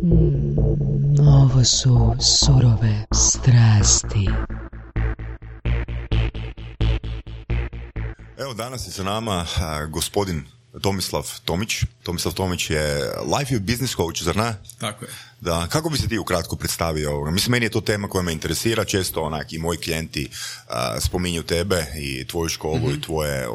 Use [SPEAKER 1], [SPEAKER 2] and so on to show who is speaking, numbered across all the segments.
[SPEAKER 1] Ovo su surove strasti.
[SPEAKER 2] Evo, danas je sa nama gospodin Tomislav Tomić. Tomislav Tomić je life i business coach, zar ne?
[SPEAKER 3] Tako je.
[SPEAKER 2] Da, kako bi se ti ukratko predstavio ovoga? Mislim, meni je to tema koja me interesira. Često i moji klijenti spominju tebe i tvoju školu i tvoje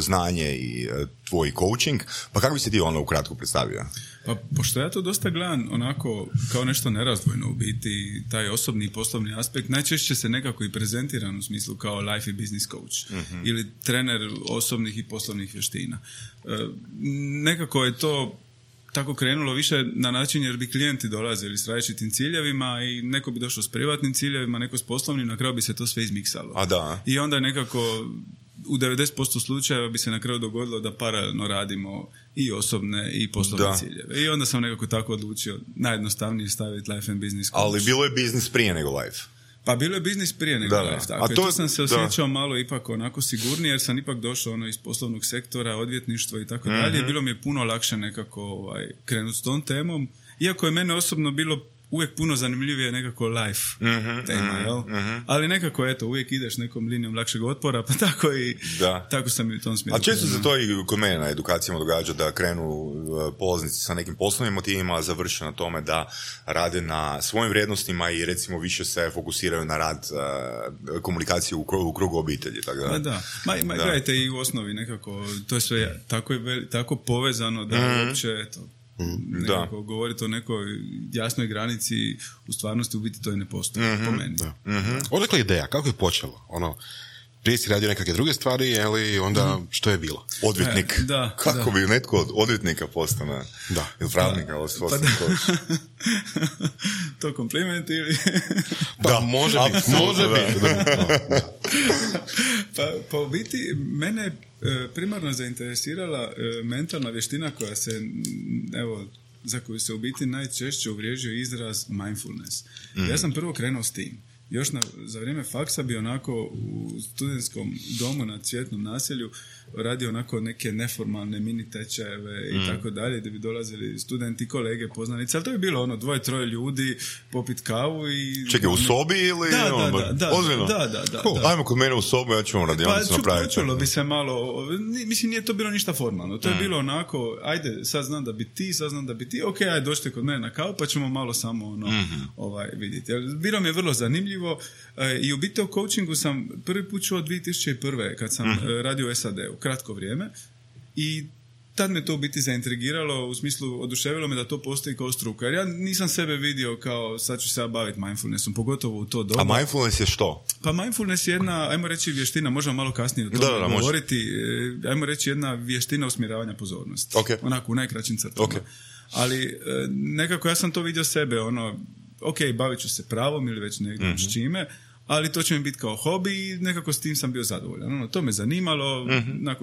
[SPEAKER 2] znanje i tvoj coaching. Pa kako bi se ti ukratko predstavio?
[SPEAKER 3] Pa, pošto ja to dosta gledam onako kao nešto nerazdvojno u biti, taj osobni i poslovni aspekt, najčešće se nekako i prezentiran u smislu kao life i business coach ili trener osobnih i poslovnih vještina. Nekako je to tako krenulo više na način jer bi klijenti dolazili s različitim ciljevima i neko bi došao s privatnim ciljevima, neko s poslovnim, na kraju bi se to sve izmiksalo.
[SPEAKER 2] A da.
[SPEAKER 3] I onda nekako u 90% slučajeva bi se na kraju dogodilo da paralelno radimo i osobne i poslovne ciljeve. I onda sam nekako tako odlučio najjednostavnije staviti life and business coach.
[SPEAKER 2] Ali bilo je biznis prije nego life.
[SPEAKER 3] Pa bilo je biznis prije nego life. Tako. A to sam se osjećao malo ipak onako sigurnije jer sam ipak došao iz poslovnog sektora, odvjetništva i tako dalje. Bilo mi je puno lakše nekako krenuti s tom temom. Iako je mene osobno bilo uvijek puno zanimljivije nekako life tema, jel? Ali nekako, uvijek ideš nekom linijom lakšeg otpora, pa tako sam i u tom smjeru.
[SPEAKER 2] A često se to i kod mene na edukacijama događa da krenu polaznici sa nekim poslovnim motivima, a završe na tome da rade na svojim vrijednostima i recimo više se fokusiraju na rad komunikacije u krugu obitelji. Tako da.
[SPEAKER 3] Da. Gledajte, i u osnovi nekako, to je sve tako povezano da uopće, nekako govoriti o nekoj jasnoj granici, u stvarnosti u biti to i ne postoji po meni.
[SPEAKER 4] Odakle ideja? Kako je počelo? Prije si radio nekakve druge stvari, ali onda što je bilo?
[SPEAKER 2] Odvjetnik. Kako bi netko od odvjetnika postane? Ili pravnika, ali
[SPEAKER 3] to kompliment ili?
[SPEAKER 4] Može biti.
[SPEAKER 3] Pa u biti mene primarno zainteresirala mentalna vještina koja se, za koju se u biti najčešće uvriježio izraz mindfulness. Ja sam prvo krenuo s tim. Još za vrijeme faksa bi onako u studentskom domu na Cvjetnom naselju radio onako neke neformalne mini tečajeve i tako dalje, gdje bi dolazili studenti, kolege, poznanici, ali to je bilo 2-3 ljudi popit kavu i...
[SPEAKER 2] Čekaj, u sobi ili...
[SPEAKER 3] Da.
[SPEAKER 2] Ajmo kod mene u sobu, ja ću vam radionicu napraviti.
[SPEAKER 3] Pa čulo bi se malo... Mislim, nije to bilo ništa formalno. To je bilo onako, ajde, sad znam da bi ti, ok, ajde, dođite kod mene na kavu, pa ćemo malo samo vidjeti. Bilo mi je vrlo zanimljivo i u biti o coachingu sam prvi put čuo 2001. kad sam radio u SAD-u, kratko vrijeme, i tad me to u biti zaintrigiralo, u smislu oduševilo me da to postoji kao struka. Jer ja nisam sebe vidio kao sad ću se ja baviti mindfulnessom, pogotovo u to doba.
[SPEAKER 2] A mindfulness je što?
[SPEAKER 3] Pa mindfulness je jedna, ajmo reći, vještina, možemo malo kasnije o tome govoriti, ajmo reći jedna vještina usmjeravanja pozornosti. Onako u najkraćim crtama. Ali nekako ja sam to vidio sebe, bavit ću se pravom ili već nekim s čime, ali to će mi biti kao hobi i nekako s tim sam bio zadovoljan. To me zanimalo,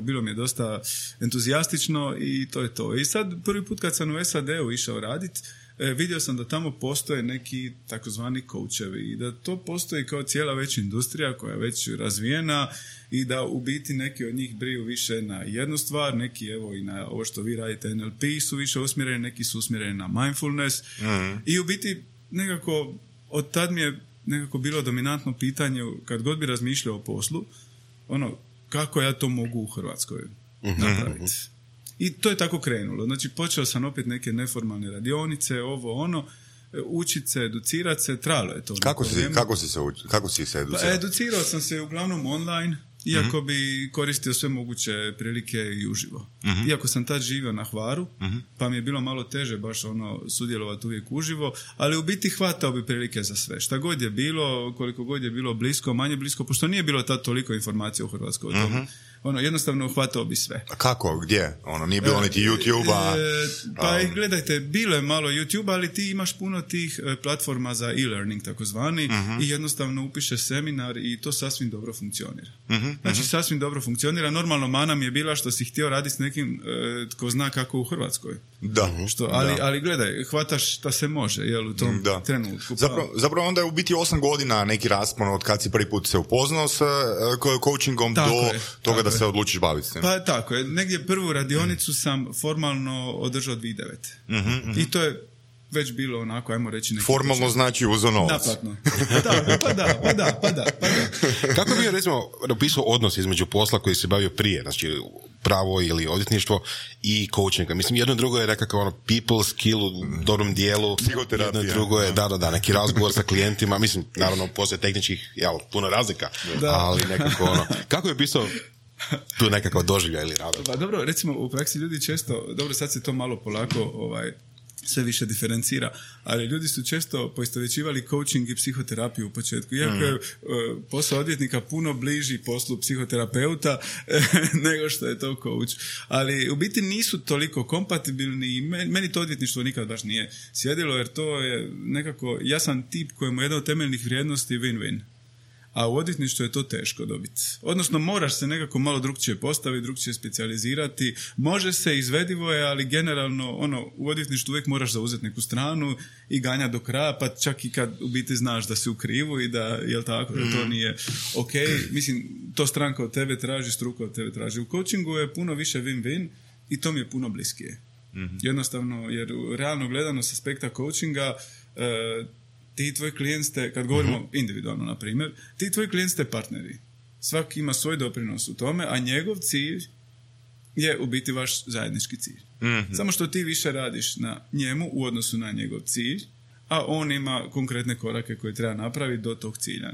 [SPEAKER 3] bilo mi je dosta entuzijastično i to je to. I sad prvi put kad sam u SAD-u išao raditi, vidio sam da tamo postoje neki takozvani coachevi i da to postoji kao cijela već industrija koja je već razvijena i da u biti neki od njih briju više na jednu stvar, neki i na ovo što vi radite NLP su više usmjereni, neki su usmjereni na mindfulness i u biti nekako od tad mi je nekako bilo dominantno pitanje kad god bi razmišljao o poslu, kako ja to mogu u Hrvatskoj napraviti. I to je tako krenulo. Znači, počeo sam opet neke neformalne radionice, učit se, educirat se, trajalo je to.
[SPEAKER 2] Kako si se educirao?
[SPEAKER 3] Pa, educirao sam se uglavnom online, iako bi koristio sve moguće prilike i uživo. Iako sam tad živio na Hvaru, pa mi je bilo malo teže baš sudjelovati uvijek uživo, ali u biti hvatao bi prilike za sve. Šta god je bilo, koliko god je bilo blisko, manje blisko, pošto nije bilo tad toliko informacija u Hrvatskoj o tome. Jednostavno hvatao bi sve.
[SPEAKER 2] A kako? Gdje? Nije bilo niti YouTube-a?
[SPEAKER 3] Pa gledajte, bilo je malo YouTube, ali ti imaš puno tih platforma za e-learning takozvani i jednostavno upišeš seminar i to sasvim dobro funkcionira. Znači, sasvim dobro funkcionira. Normalno mana mi je bila što si htio raditi s nekim tko zna kako u Hrvatskoj. Ali gledaj, hvataš šta se može, u tom trenutku.
[SPEAKER 2] Zapravo onda je u biti 8 godina neki raspon od kad si prvi put se upoznao s coachingom do toga da se odlučiš baviti s tim.
[SPEAKER 3] Pa tako je. Negdje prvu radionicu sam formalno održao 2009. I to je već bilo onako, ajmo reći...
[SPEAKER 2] Formalno znači uzo novac.
[SPEAKER 3] Naplatno. Pa da.
[SPEAKER 4] Kako bi, recimo, opisao odnos između posla koji se bavio prije, znači pravo ili odvjetništvo i coachinga? Mislim, jedno drugo je nekakav people skill u dobrom dijelu, jedno drugo je, da, neki razgovor sa klijentima, mislim, naravno, postoje tehničkih, puno razlika, ali nekako kako je opisao tu nekakav doživljaj ili rad?
[SPEAKER 3] Pa dobro, recimo, u praksi ljudi često, dobro, sad se to malo polako sve više diferencira, ali ljudi su često poistovjećivali coaching i psihoterapiju u početku. Iako je posao odvjetnika puno bliži poslu psihoterapeuta nego što je to coach. Ali u biti nisu toliko kompatibilni i meni to odvjetništvo nikad baš nije sjedilo, jer to je nekako, ja sam tip kojemu je jedna od temeljnih vrijednosti win-win. A u odvjetništvu je to teško dobiti. Odnosno, moraš se nekako malo drukčije postaviti, drukčije specijalizirati. Može se, izvedivo je, ali generalno u odvjetništvu uvijek moraš zauzeti neku stranu i ganjati do kraja, pa čak i kad u biti znaš da si u krivu i da, jel tako, da to nije ok. Mislim, to stranka od tebe traži, struka od tebe traži. U coachingu je puno više win-win i to mi je puno bliskije. Jednostavno, jer realno gledano s aspekta coachinga, ti tvoji klijent ste, kad govorimo individualno, na primjer, ti tvoji klijent ste partneri. Svaki ima svoj doprinos u tome, a njegov cilj je u biti vaš zajednički cilj. Samo što ti više radiš na njemu u odnosu na njegov cilj, a on ima konkretne korake koje treba napraviti do tog cilja.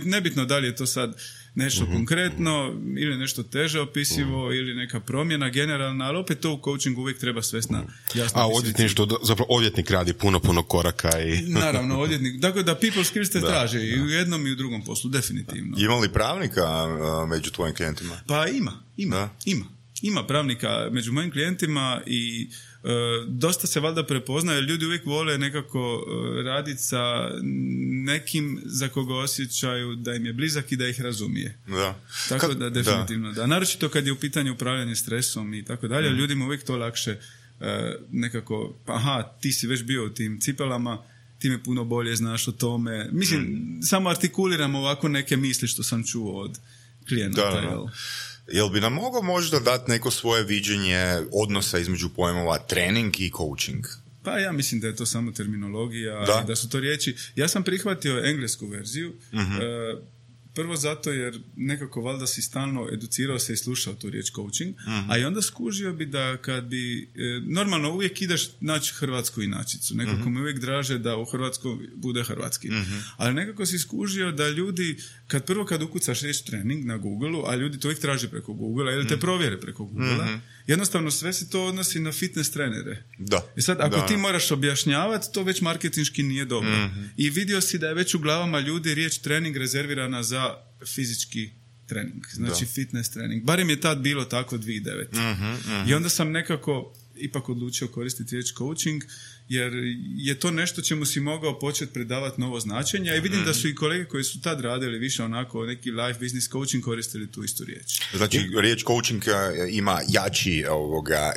[SPEAKER 3] Nebitno da li je to sad nešto konkretno ili nešto teže opisivo ili neka promjena generalna, ali opet to u coachingu uvijek treba svesna jasno.
[SPEAKER 4] A odvjetništvo, zapravo odvjetnik radi puno koraka i... Naravno,
[SPEAKER 3] odvjetnik. Dakle, da people skills te traže i u jednom i u drugom poslu, definitivno.
[SPEAKER 2] Ima li pravnika među tvojim klijentima?
[SPEAKER 3] Pa ima pravnika među mojim klijentima i dosta se valjda prepoznaje, ljudi uvijek vole nekako raditi sa nekim za koga osjećaju da im je blizak i da ih razumije. Tako da definitivno da. Naročito kad je u pitanju upravljanje stresom i tako dalje, ljudima uvijek to lakše nekako, ti si već bio u tim cipelama, ti me puno bolje znaš o tome. Mislim, samo artikuliram ovako neke misli što sam čuo od klijenata.
[SPEAKER 2] Jel bi nam mogao možda dati neko svoje viđenje odnosa između pojmova trening i coaching?
[SPEAKER 3] Pa ja mislim da je to samo terminologija i da su to riječi. Ja sam prihvatio englesku verziju, prvo zato jer nekako valjda si stalno educirao se i slušao tu riječ coaching, a i onda skužio bi da kad bi, normalno uvijek ideš naći hrvatsku inačicu, nekako mi uvijek draže da u Hrvatskoj bude hrvatski, ali nekako si skužio da ljudi, kad ukucaš riječ trening na Google-u, a ljudi to uvijek traže preko Google-a ili te provjere preko Google-a, jednostavno sve se to odnosi na fitness trenere. I sad, ako ti moraš objašnjavati, to već marketinški nije dobro. I vidio si da je već u glavama ljudi riječ trening rezervirana za fizički trening, znači fitness trening. Barem je tad bilo tako 2009. I onda sam nekako ipak odlučio koristiti riječ coaching, jer je to nešto čemu si mogao početi predavati novo značenje, i vidim da su i kolege koji su tad radili više onako neki life business coaching koristili tu istu riječ.
[SPEAKER 2] Znači, riječ coaching ima jači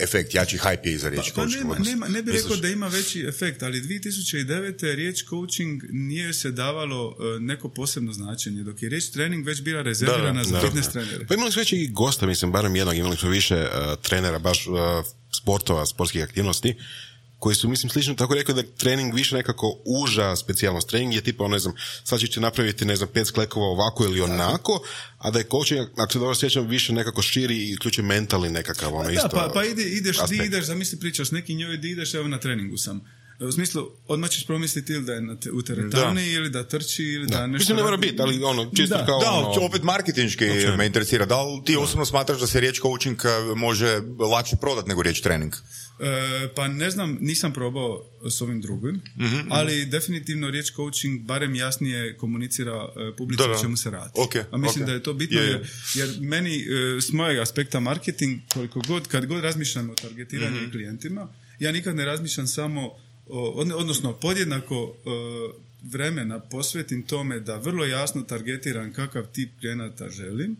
[SPEAKER 2] efekt, jači hype je iza riječ coaching.
[SPEAKER 3] Ne bih rekao da ima veći efekt, ali 2009. riječ coaching nije se davalo neko posebno značenje, dok je riječ trening već bila rezervirana za fitness trenere.
[SPEAKER 4] Pa imali smo već i gosta, mislim, barem jednog, imali smo više trenera, baš sportova, sportskih aktivnosti, koji su, mislim, slično tako rekao da je trening više nekako uža specijalnost. Trening je tipa, sad ćete napraviti, 5 sklekova ovako ili onako, a da je coaching, ako se dobro sjećam, više nekako širi i uključuje mentalni nekakav, isto.
[SPEAKER 3] Pa ideš, zamisli pričaš, neki njoj di ideš, evo na treningu sam. U smislu, odmah ćeš promisliti ili da je u teretani, ili da trči, ili da nešto...
[SPEAKER 4] Mislim, ne mora biti, ali čisto kao...
[SPEAKER 2] opet marketinški me interesira. Da li ti osobno smatraš da se riječ coaching može lakše prodati nego riječ trening?
[SPEAKER 3] Pa ne znam, nisam probao s ovim drugim, ali definitivno riječ coaching barem jasnije komunicira publici o čemu se radi. A mislim da je to bitno, jer meni s mojeg aspekta marketing, kad god razmišljam o targetiranju i klijentima, ja nikad ne razmišljam samo odnosno podjednako vremena posvetim tome da vrlo jasno targetiram kakav tip klijenata želim,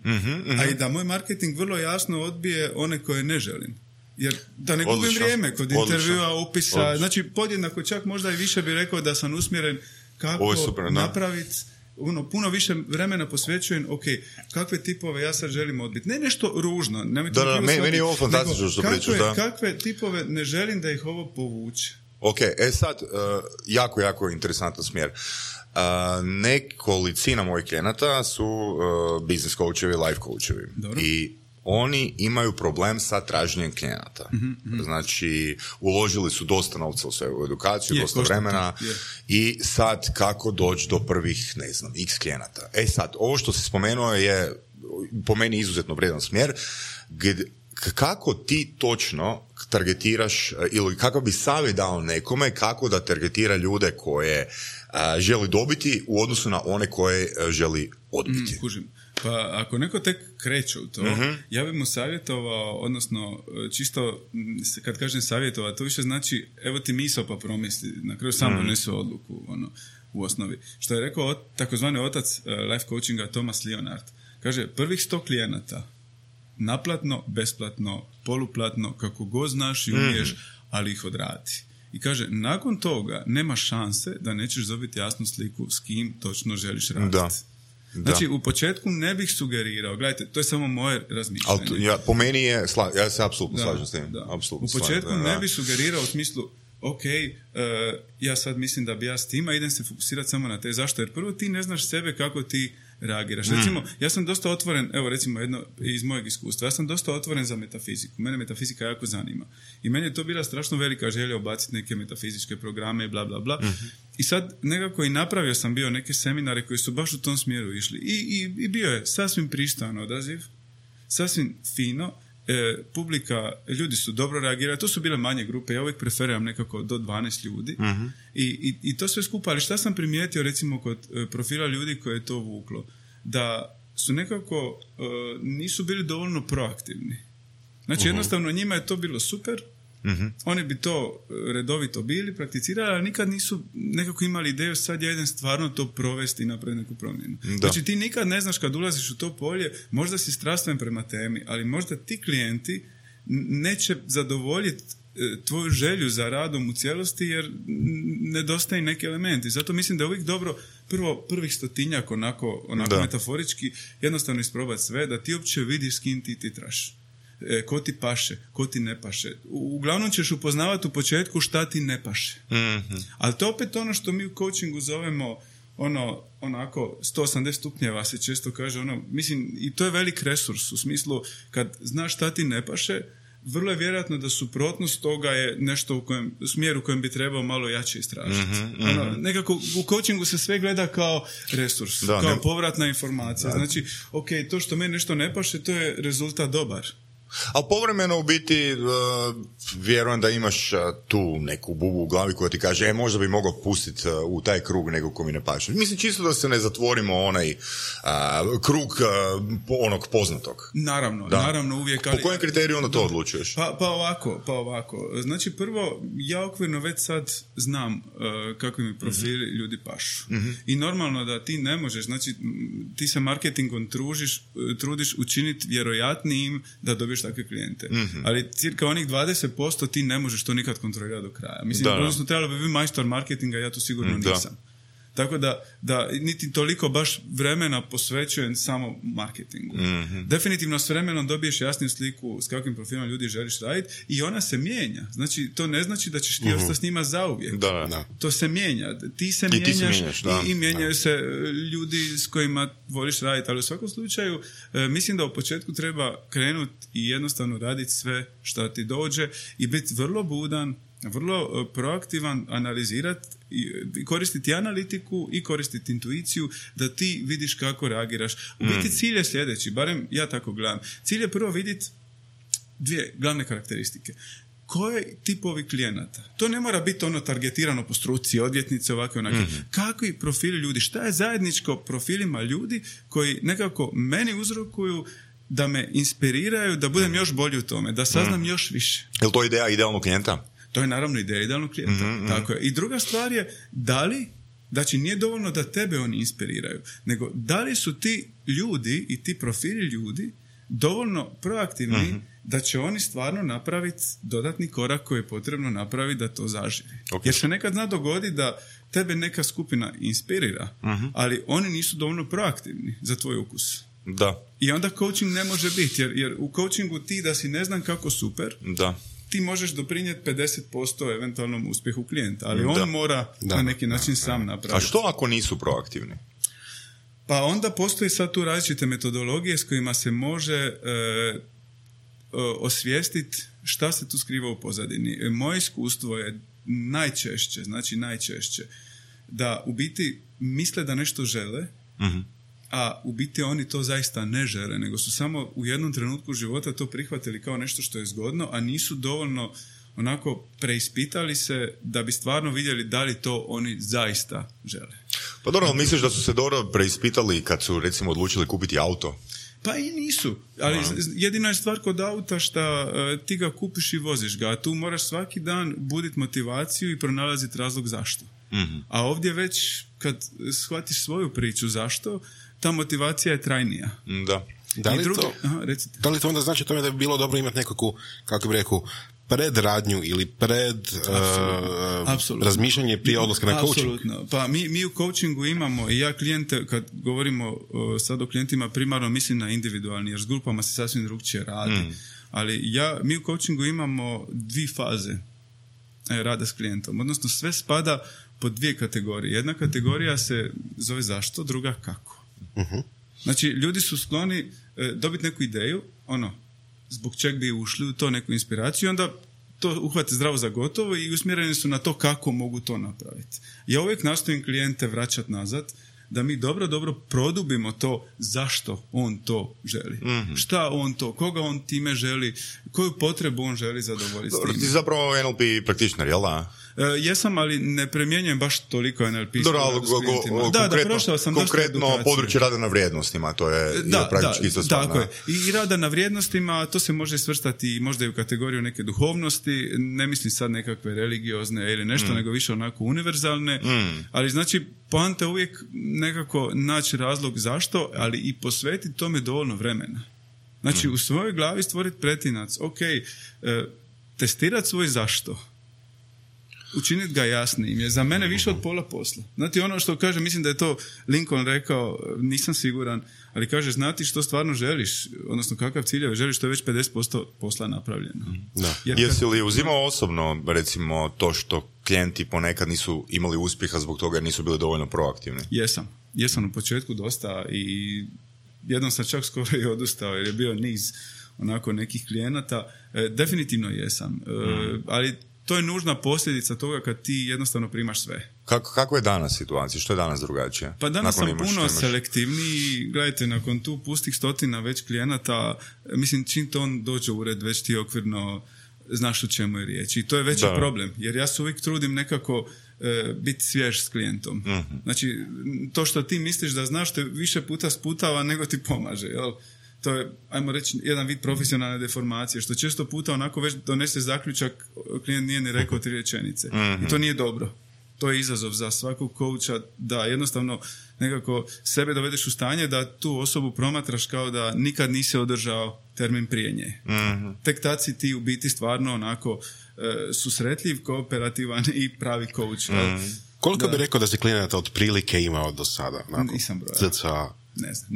[SPEAKER 3] a i da moj marketing vrlo jasno odbije one koje ne želim. Jer da ne gubim vrijeme kod intervjua, upisa, znači podjednako čak možda i više bih rekao da sam usmjeren kako napraviti, puno više vremena posvećujem, kakve tipove ja sad želim odbiti. Ne nešto ružno.
[SPEAKER 2] Meni je ovo fantastično što pričaš,
[SPEAKER 3] kakve tipove ne želim da ih ovo povuče.
[SPEAKER 2] Ok, sad, jako interesantan smjer. Nekolicina mojih klijenata su business coachevi, life coachevi. Dobro. I oni imaju problem sa traženjem klijenata. Znači, uložili su dosta novca u svoju edukaciju, dosta vremena i sad kako doći do prvih, x klijenata. Sad, ovo što si spomenuo je po meni izuzetno vredan smjer, kako ti točno targetiraš ili kako bi savjet dao nekome kako da targetira ljude koje želi dobiti u odnosu na one koje želi odbiti.
[SPEAKER 3] Kužim. Pa ako neko tek kreće u to, ja bih mu savjetovao, odnosno čisto kad kažem savjetovao, to više znači evo ti misao pa promisli, na kraju sam donesu odluku u osnovi. Što je rekao takozvani otac life coachinga Thomas Leonard. Kaže, prvih 100 klijenata naplatno, besplatno, poluplatno, kako god znaš i umiješ, ali ih odradi. I kaže, nakon toga nema šanse da nećeš dobiti jasnu sliku s kim točno želiš raditi. Da. Znači, u početku ne bih sugerirao, gledajte, to je samo moje razmišljanje.
[SPEAKER 2] Po meni je, ja se apsolutno slažem s tim.
[SPEAKER 3] U početku ne bih sugerirao u smislu, ok, ja sad mislim da bi ja s tima, idem se fokusirati samo na te. Zašto? Jer prvo ti ne znaš sebe kako ti reagiraš. Recimo, ja sam dosta otvoren, evo recimo jedno iz mojeg iskustva, ja sam dosta otvoren za metafiziku. Mene metafizika jako zanima. I meni je to bila strašno velika želja ubaciti neke metafizičke programe i bla bla bla. I sad nekako i napravio sam bio neke seminare koji su baš u tom smjeru išli. I bio je sasvim pristojan odaziv, sasvim fino. Publika, ljudi su dobro reagirali, to su bile manje grupe, ja uvijek preferiram nekako do 12 ljudi i to sve skupa, ali šta sam primijetio recimo kod profila ljudi koje je to vuklo, da su nekako nisu bili dovoljno proaktivni. Znači jednostavno njima je to bilo super, oni bi to redovito bili, prakticirali, ali nikad nisu nekako imali ideju sad ja idem stvarno to provesti i napraviti neku promjenu. Znači ti nikad ne znaš kad ulaziš u to polje, možda si strastven prema temi, ali možda ti klijenti neće zadovoljiti tvoju želju za radom u cijelosti jer nedostaje neki elementi. Zato mislim da je uvijek dobro prvih 100-tinjak onako metaforički jednostavno isprobati sve, da ti uopće vidiš s kim ti titraš. Ko ti paše, ko ti ne paše. Uglavnom ćeš upoznavati u početku šta ti ne paše. Ali to opet ono što mi u coachingu zovemo onako 180 stupnjeva se često kaže, mislim, i to je velik resurs u smislu kad znaš šta ti ne paše, vrlo je vjerojatno da suprotnost toga je nešto u smjeru u kojem bi trebao malo jače istražiti. Nekako u coachingu se sve gleda kao resurs, kao povratna informacija. Znači, ok, to što meni nešto ne paše, to je rezultat dobar.
[SPEAKER 2] Ali povremeno u biti vjerujem da imaš tu neku bubu u glavi koja ti kaže možda bi mogao pustiti u taj krug nego ko mi ne paše. Mislim čisto da se ne zatvorimo onaj krug onog poznatog.
[SPEAKER 3] Naravno uvijek. Ali,
[SPEAKER 2] po kojem kriteriju onda to odlučuješ?
[SPEAKER 3] Pa ovako. Znači prvo, ja okvirno već sad znam kakvi mi profili ljudi pašu. I normalno da ti ne možeš, znači ti se marketingom trudiš učiniti vjerojatnijim da dobiješ takve klijente. Ali cirka onih 20% ti ne možeš to nikad kontrolirati do kraja. Mislim, odnosno trebalo bi biti majstor marketinga, ja to sigurno nisam. Tako da niti toliko baš vremena posvećujem samo marketingu. Definitivno s vremenom dobiješ jasniju sliku s kakvim profilom ljudi želiš raditi i ona se mijenja. Znači, to ne znači da ćeš ti ostati s njima zauvijek. To se mijenja. Ti se mijenjaš i mijenjaju se ljudi s kojima voliš raditi. Ali u svakom slučaju mislim da u početku treba krenuti i jednostavno raditi sve što ti dođe i biti vrlo budan, vrlo proaktivan, analizirati i koristiti analitiku i koristiti intuiciju da ti vidiš kako reagiraš. U biti cilj je sljedeći, barem ja tako gledam. Cilj je prvo vidjeti dvije glavne karakteristike. Koje tipovi klijenata? To ne mora biti targetirano po struci, odvjetnice, ovakve onake. Kakvi profili ljudi? Šta je zajedničko profilima ljudi koji nekako meni uzrokuju da me inspiriraju, da budem još bolji u tome, da saznam još više.
[SPEAKER 2] Je li to ideja idealnog klijenta?
[SPEAKER 3] To je naravno ideja idealnog klijenta. Tako je. I druga stvar je, da li, znači nije dovoljno da tebe oni inspiriraju, nego da li su ti ljudi i ti profili ljudi dovoljno proaktivni da će oni stvarno napraviti dodatni korak koji je potrebno napraviti da to zaživi. Jer se nekad zna dogoditi da tebe neka skupina inspirira, ali oni nisu dovoljno proaktivni za tvoj ukus. I onda coaching ne može biti, jer u coachingu ti da si ne znam kako super, ti možeš doprinijeti 50% eventualnom uspjehu klijenta, ali on mora na neki način sam napraviti.
[SPEAKER 2] A što ako nisu proaktivni?
[SPEAKER 3] Pa onda postoji sad tu različite metodologije s kojima se može osvijestiti šta se tu skriva u pozadini. Moje iskustvo je najčešće, da u biti misle da nešto žele, a u biti oni to zaista ne žele, nego su samo u jednom trenutku života to prihvatili kao nešto što je zgodno, a nisu dovoljno onako preispitali se da bi stvarno vidjeli da li to oni zaista žele.
[SPEAKER 2] Pa dobro, misliš da su se dobro preispitali kad su recimo odlučili kupiti auto?
[SPEAKER 3] Pa i nisu, ali jedina je stvar kod auta što ti ga kupiš i voziš ga, a tu moraš svaki dan buditi motivaciju i pronalaziti razlog zašto. A ovdje već kad shvatiš svoju priču zašto, ta motivacija je trajnija.
[SPEAKER 2] Da.
[SPEAKER 4] Da li to onda znači tome da bi bilo dobro imati nekakvu, kako bih rekao, predradnju ili razmišljanje prije odlaska na coaching?
[SPEAKER 3] Apsolutno. Pa mi u coachingu imamo, i ja klijente, kad govorimo sad o klijentima, primarno mislim na individualni, jer s grupama se sasvim drugčije radi. Ali mi u coachingu imamo 2 faze rada s klijentom. Odnosno sve spada pod 2 kategorije. Jedna kategorija se zove zašto, druga kako. Znači, ljudi su skloni dobiti neku ideju, zbog čeg bi ušli u to, neku inspiraciju, onda to uhvate zdravo za gotovo i usmjereni su na to kako mogu to napraviti. Ja uvijek nastojim klijente vraćati nazad, da mi dobro produbimo to zašto on to želi. Šta on to, koga on time želi, koju potrebu on želi zadovoljiti.
[SPEAKER 2] Dobro, ti zapravo NLP praktičnar, jel da?
[SPEAKER 3] Jesam, ali ne primjenjujem baš toliko NLP.
[SPEAKER 2] Konkretno područje rada na vrijednostima, to je praktički isto stvarno.
[SPEAKER 3] Tako je. I rada na vrijednostima, to se može svrstati možda i u kategoriju neke duhovnosti, ne mislim sad nekakve religiozne ili nešto, nego više onako univerzalne, ali znači poanta uvijek nekako naći razlog zašto, ali i posvetiti tome dovoljno vremena. Znači u svojoj glavi stvoriti pretinac, testirati svoj zašto, učiniti ga jasnijim je za mene više od pola posla. Znate, ono što kaže, mislim da je to Lincoln rekao, nisam siguran, ali kaže, znati što stvarno želiš, odnosno kakav ciljeve želiš, to je već 50% posla napravljeno.
[SPEAKER 2] Jesi li uzimao osobno, recimo, to što klijenti ponekad nisu imali uspjeha zbog toga jer nisu bili dovoljno proaktivni?
[SPEAKER 3] Jesam u početku dosta i jednom sam čak skoro i odustao jer je bio niz onako nekih klijenata. Definitivno jesam, ali to je nužna posljedica toga kad ti jednostavno primaš sve.
[SPEAKER 2] Kako je danas situacija? Što je danas drugačije?
[SPEAKER 3] Pa danas sam puno selektivniji. Gledajte, nakon tu pustih 100 već klijenata, mislim, čim to on dođe u ured, već ti okvirno znaš o čemu je riječ. I to je veći problem, jer ja se uvijek trudim nekako biti svjež s klijentom. Znači, to što ti misliš da znaš te više puta sputava nego ti pomaže, jel? To je, ajmo reći, jedan vid profesionalne deformacije, što često puta onako već donese zaključak, klijent nije ni rekao 3 rečenice. I to nije dobro. To je izazov za svakog coacha, da jednostavno nekako sebe dovedeš u stanje da tu osobu promatraš kao da nikad nisi održao termin prije nje. Tek tad si ti u biti stvarno onako susretljiv, kooperativan i pravi coach.
[SPEAKER 4] Koliko bi rekao da si klijenata otprilike imao do sada?
[SPEAKER 3] Nisam brojao. Ne znam,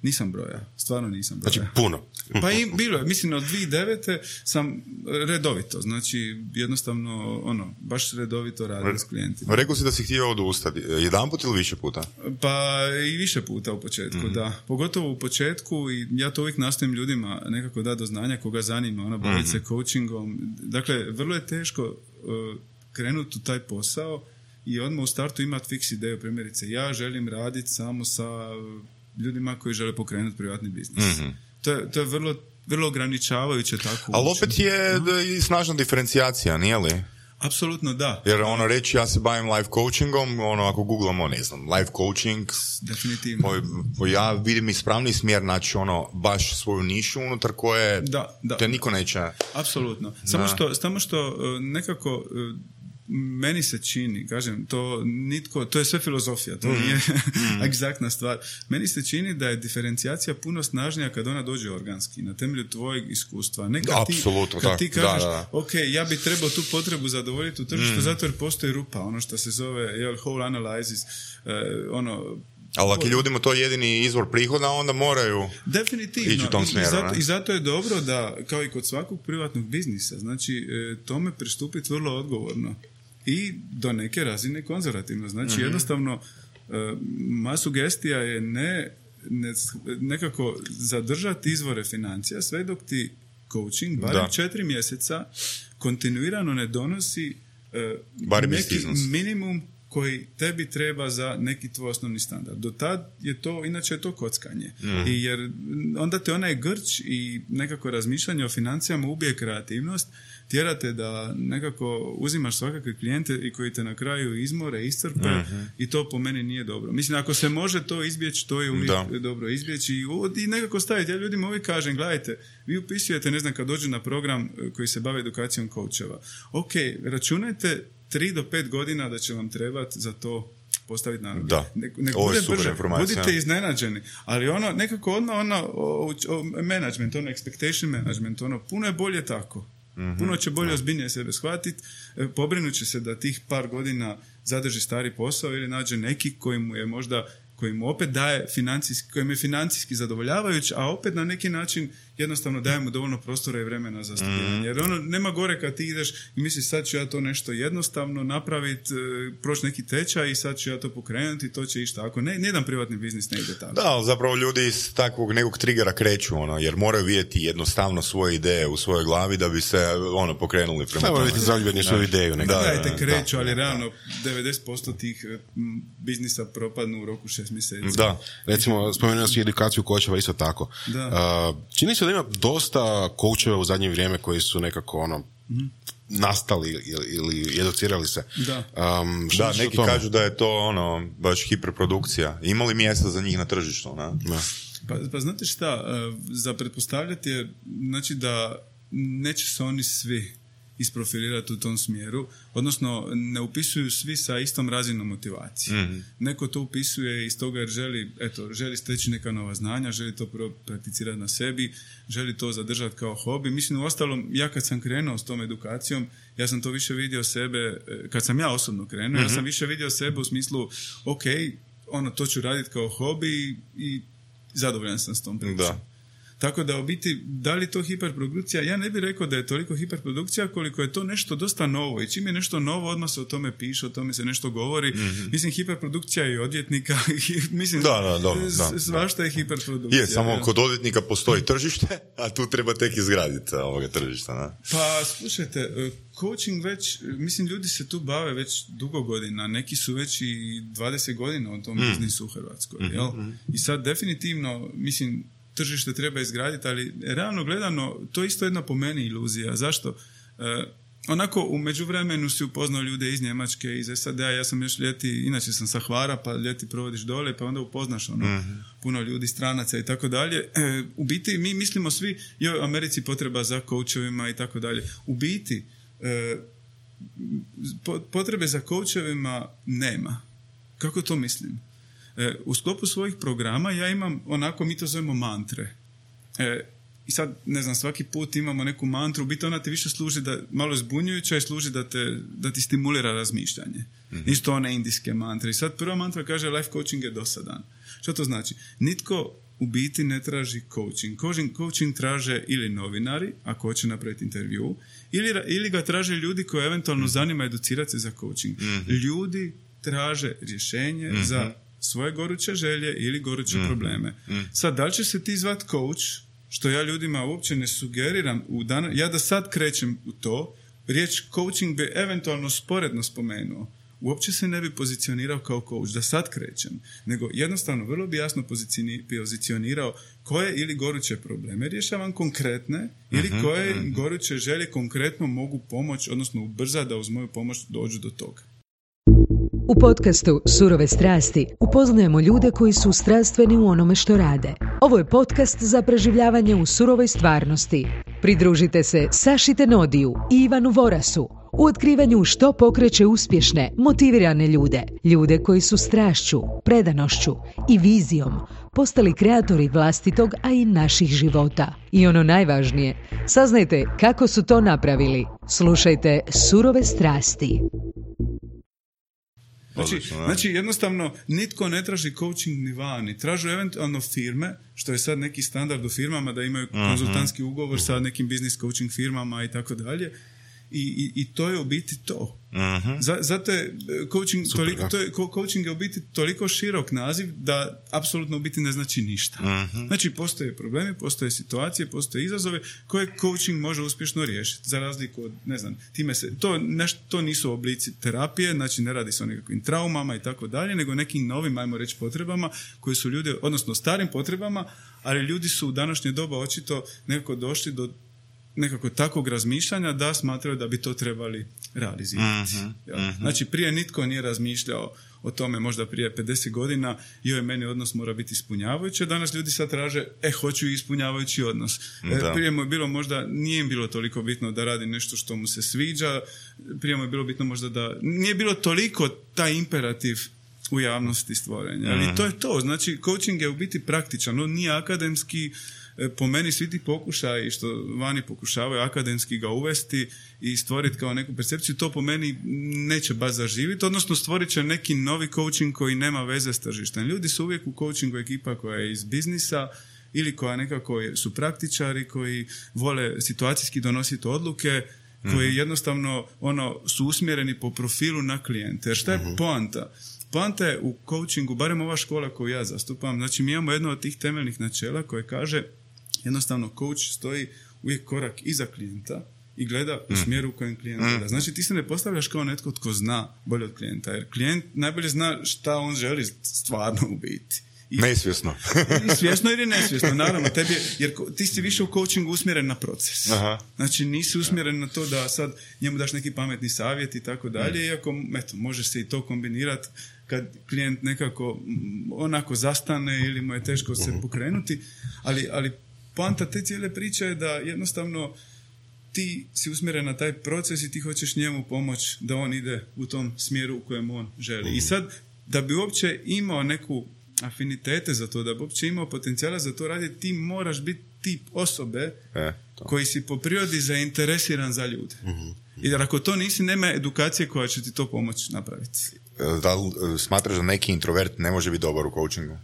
[SPEAKER 3] nisam brojao. Stvarno nisam brojao.
[SPEAKER 4] Znači puno.
[SPEAKER 3] Pa i bilo je. Mislim, od 2009. sam redovito. Znači, jednostavno, baš redovito radim s klijentima.
[SPEAKER 2] Rekao si da si htio odustati. Jedan put ili više puta?
[SPEAKER 3] Pa i više puta u početku, da. Pogotovo u početku, i ja to uvijek nastojim ljudima nekako dati do znanja koga zanima, baviti se coachingom. Dakle, vrlo je teško krenuti u taj posao i odmah u startu imati fiks ideju. Primjerice, ja želim raditi samo sa ljudima koji žele pokrenuti privatni biznis. To je vrlo ograničavajuće tako.
[SPEAKER 2] Ali opet je i snažna diferencijacija, nije li?
[SPEAKER 3] Apsolutno da.
[SPEAKER 2] Jer reći ja se bavim life coachingom, ako googlamo, ne znam, life coaching,
[SPEAKER 3] definitivno.
[SPEAKER 2] Ja vidim ispravni smjer, znači baš svoju nišu unutar koje te niko neće.
[SPEAKER 3] Apsolutno. Samo što nekako meni se čini, kažem, to je sve filozofija, to nije egzaktna stvar. Meni se čini da je diferencijacija puno snažnija kad ona dođe organski, na temelju tvojeg iskustva. Kad ti kažeš, ok, ja bi trebao tu potrebu zadovoljiti u tržištu, zato jer postoji rupa, ono što se zove whole analysis,
[SPEAKER 2] Ali ako ljudima to jedini izvor prihoda, onda moraju ići u tom smjeru.
[SPEAKER 3] I zato je dobro da, kao i kod svakog privatnog biznisa, znači tome pristupiti vrlo odgovorno i do neke razine konzervativno. Znači jednostavno moja sugestija je nekako zadržati izvore financija sve dok ti coaching barem 4 mjeseca kontinuirano ne donosi neki minimum koji tebi treba za neki tvoj osnovni standard. Do tad je to, inače je to kockanje. I jer onda te onaj grč i nekako razmišljanje o financijama ubije kreativnost, tjerate da nekako uzimaš svakakve klijente i koji te na kraju izmore, iscrpe i to po meni nije dobro. Mislim, ako se može to izbjeći, to je uvijek dobro izbjeći i nekako staviti. Ja ljudima uvijek kažem, gledajte, vi upisujete, ne znam, kad dođu na program koji se bavi edukacijom coacheva. Ok, računajte 3 do 5 godina da će vam trebati za to postaviti na noge. Ne bude brže, budite iznenađeni. Ali nekako management, expectation management, puno je bolje tako. Puno će bolje ozbiljnije sebe shvatiti, pobrinut će se da tih par godina zadrži stari posao ili nađe neki koji mu opet daje kojim je financijski zadovoljavajuć, a opet na neki način jednostavno daje mu dovoljno prostora i vremena za studiranje. Jer nema gore kad ti ideš i misliš sad ću ja to nešto jednostavno napraviti, proći neki tečaj i sad ću ja to pokrenuti i to će ići tako. Nijedan privatni biznis ne ide tako.
[SPEAKER 2] Da, ali zapravo ljudi iz takvog nekog trigera kreću, jer moraju vidjeti jednostavno svoje ideje u svojoj glavi da bi se pokrenuli prema tome.
[SPEAKER 4] Moraju biti zaljubljeni svoju ideju.
[SPEAKER 3] Kreću, ali realno 90% tih biznisa propadnu u roku 6 mjeseci.
[SPEAKER 4] Da, recimo spomenuo si edukaciju coacheva isto tako. Čini se da ima dosta coacheva u zadnje vrijeme koji su nekako nastali ili educirali se.
[SPEAKER 2] Neki kažu da je to baš hiperprodukcija. Ima li mjesta za njih na tržištu?
[SPEAKER 3] Pa znate šta, za pretpostavljati je, znači da neće se oni svi isprofilirati u tom smjeru, odnosno ne upisuju svi sa istom razinom motivacije. Neko to upisuje iz toga jer želi steći neka nova znanja, želi to prakticirati na sebi, želi to zadržati kao hobi. Mislim, uostalom, ja kad sam krenuo s tom edukacijom, ja sam to više vidio sebe, kad sam ja osobno krenuo, ja sam više vidio sebe u smislu, ok, to ću raditi kao hobi i zadovoljan sam s tom pričom. Tako da u biti, da li to hiperprodukcija? Ja ne bih rekao da je toliko hiperprodukcija koliko je to nešto dosta novo. I čim je nešto novo, odmah se o tome piše, o tome se nešto govori. Mislim, hiperprodukcija je i odvjetnika. Mislim, svašta je hiperprodukcija.
[SPEAKER 2] Samo kod odvjetnika postoji tržište, a tu treba tek izgraditi ovoga tržišta.
[SPEAKER 3] Pa, slušajte, coaching već, mislim, ljudi se tu bave već dugo godina. Neki su već i 20 godina u tom biznisu u Hrvatskoj. I sad definitivno, mislim, tržište treba izgraditi, ali realno gledano, to je isto jedna po meni iluzija. Zašto? U međuvremenu si upoznao ljude iz Njemačke, iz SAD-a, ja sam još ljeti, inače sam sa Hvara, pa ljeti provodiš dole, pa onda upoznaš puno ljudi, stranaca i tako dalje. U biti, mi mislimo svi, u Americi potreba za coachovima i tako dalje. U biti, potrebe za coachovima nema. Kako to mislim? U sklopu svojih programa ja imam mi to zovemo mantre. I sad, ne znam, svaki put imamo neku mantru, u biti ona ti više služi malo zbunjujuća i služi da ti stimulira razmišljanje. Isto one indijske mantre. I sad prva mantra kaže life coaching je dosadan. Što to znači? Nitko u biti ne traži coaching. Coaching traže ili novinari, ako hoće napraviti intervju, ili ga traže ljudi koji eventualno zanima educirati se za coaching. Ljudi traže rješenje za svoje goruće želje ili goruće probleme. Sad, da li će se ti zvat coach, što ja ljudima uopće ne sugeriram, ja da sad krećem u to, riječ coaching bi eventualno sporedno spomenuo. Uopće se ne bi pozicionirao kao coach, da sad krećem, nego jednostavno vrlo bi jasno pozicionirao koje ili goruće probleme rješavam konkretne ili koje goruće želje konkretno mogu pomoći, odnosno ubrzati da uz moju pomoć dođu do toga.
[SPEAKER 1] U podcastu Surove strasti upoznajemo ljude koji su strastveni u onome što rade. Ovo je podcast za preživljavanje u surovoj stvarnosti. Pridružite se Saši Tenodiju i Ivanu Vorasu u otkrivanju što pokreće uspješne, motivirane ljude. Ljude koji su strašću, predanošću i vizijom postali kreatori vlastitog, a i naših života. I ono najvažnije, saznajte kako su to napravili. Slušajte Surove strasti.
[SPEAKER 3] Znači, jednostavno, nitko ne traži coaching ni vani. Tražu eventualno firme, što je sad neki standard u firmama, da imaju konzultantski ugovor sa nekim business coaching firmama i tako dalje. I to je u biti to. Zato je coaching je u biti toliko širok naziv da apsolutno u biti ne znači ništa. Znači, postoje problemi, postoje situacije, postoje izazove koje coaching može uspješno riješiti. Za razliku od, ne znam, to nisu oblici terapije, znači ne radi se o nekakvim traumama i tako dalje, nego nekim novim, ajmo reći, potrebama koji su ljudi, odnosno starim potrebama, ali ljudi su u današnje doba očito nekako došli do nekako takvog razmišljanja da smatraju da bi to trebali realizirati. Znači, prije nitko nije razmišljao o tome, možda prije 50 godina, meni odnos mora biti ispunjavajući. Danas ljudi sad traže, hoću ispunjavajući odnos. Prije mu je bilo možda, nije im bilo toliko bitno da radi nešto što mu se sviđa, prije mu je bilo bitno možda da, nije bilo toliko taj imperativ u javnosti stvorenja. Ali to je to. Znači, coaching je u biti praktičan, on nije akademski. Po meni svi ti pokušaji što vani pokušavaju akademski ga uvesti i stvoriti kao neku percepciju, to po meni neće baš zaživiti, odnosno stvorit će neki novi coaching koji nema veze s tržištem. Ljudi su uvijek u coachingu ekipa koja je iz biznisa ili koja nekako su praktičari, koji vole situacijski donositi odluke, koji jednostavno su usmjereni po profilu na klijente. Jer šta je poanta? Poanta je u coachingu, barem ova škola koju ja zastupam, znači mi imamo jedno od tih temeljnih načela koje kaže jednostavno coach stoji uvijek korak iza klijenta i gleda u smjeru u kojem klijent gleda. Znači ti se ne postavljaš kao netko tko zna bolje od klijenta, jer klijent najbolje zna šta on želi stvarno u biti.
[SPEAKER 2] Nesvjesno.
[SPEAKER 3] Svjesno ili nesvjesno, naravno. Jer ti si više u coachingu usmjeren na proces. Znači nisi usmjeren na to da sad njemu daš neki pametni savjet i tako dalje, iako može se i to kombinirati kad klijent nekako onako zastane ili mu je teško se pokrenuti, ali poanta te cijele priče je da jednostavno ti si usmjeren na taj proces i ti hoćeš njemu pomoći da on ide u tom smjeru u kojem on želi. I sad, da bi uopće imao neku afinitete za to, da bi uopće imao potencijala za to raditi, ti moraš biti tip osobe koji si po prirodi zainteresiran za ljude. I da ako to nisi, nema edukacije koja će ti to pomoći napraviti.
[SPEAKER 2] Da li smatraš da neki introvert ne može biti dobar u coachingu?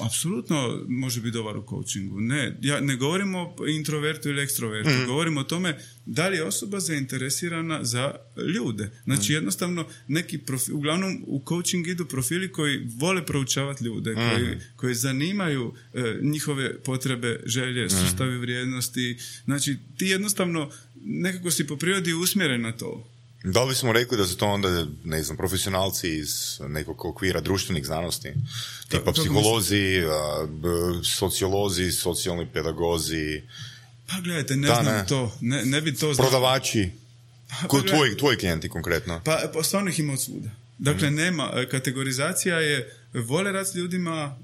[SPEAKER 3] Apsolutno može biti dobar u coachingu. Ne, ja ne govorim o introvertu ili ekstrovertu. Govorim o tome da li je osoba zainteresirana za ljude. Znači jednostavno neki uglavnom u coaching idu profili koji vole proučavati ljude, koji zanimaju njihove potrebe, želje, sustavi vrijednosti. Znači ti jednostavno nekako si po prirodi usmjeren na to.
[SPEAKER 2] Da li smo rekli da su to onda, ne znam, profesionalci iz nekog okvira društvenih znanosti, tipa psiholozi, sociolozi, socijalni pedagozi?
[SPEAKER 3] Pa gledajte, to. Ne bi to znao.
[SPEAKER 2] Prodavači? Tvoji klijenti konkretno?
[SPEAKER 3] Pa stvarno ih ima od svuda. Dakle, nema. Kategorizacija je vole rad s ljudima,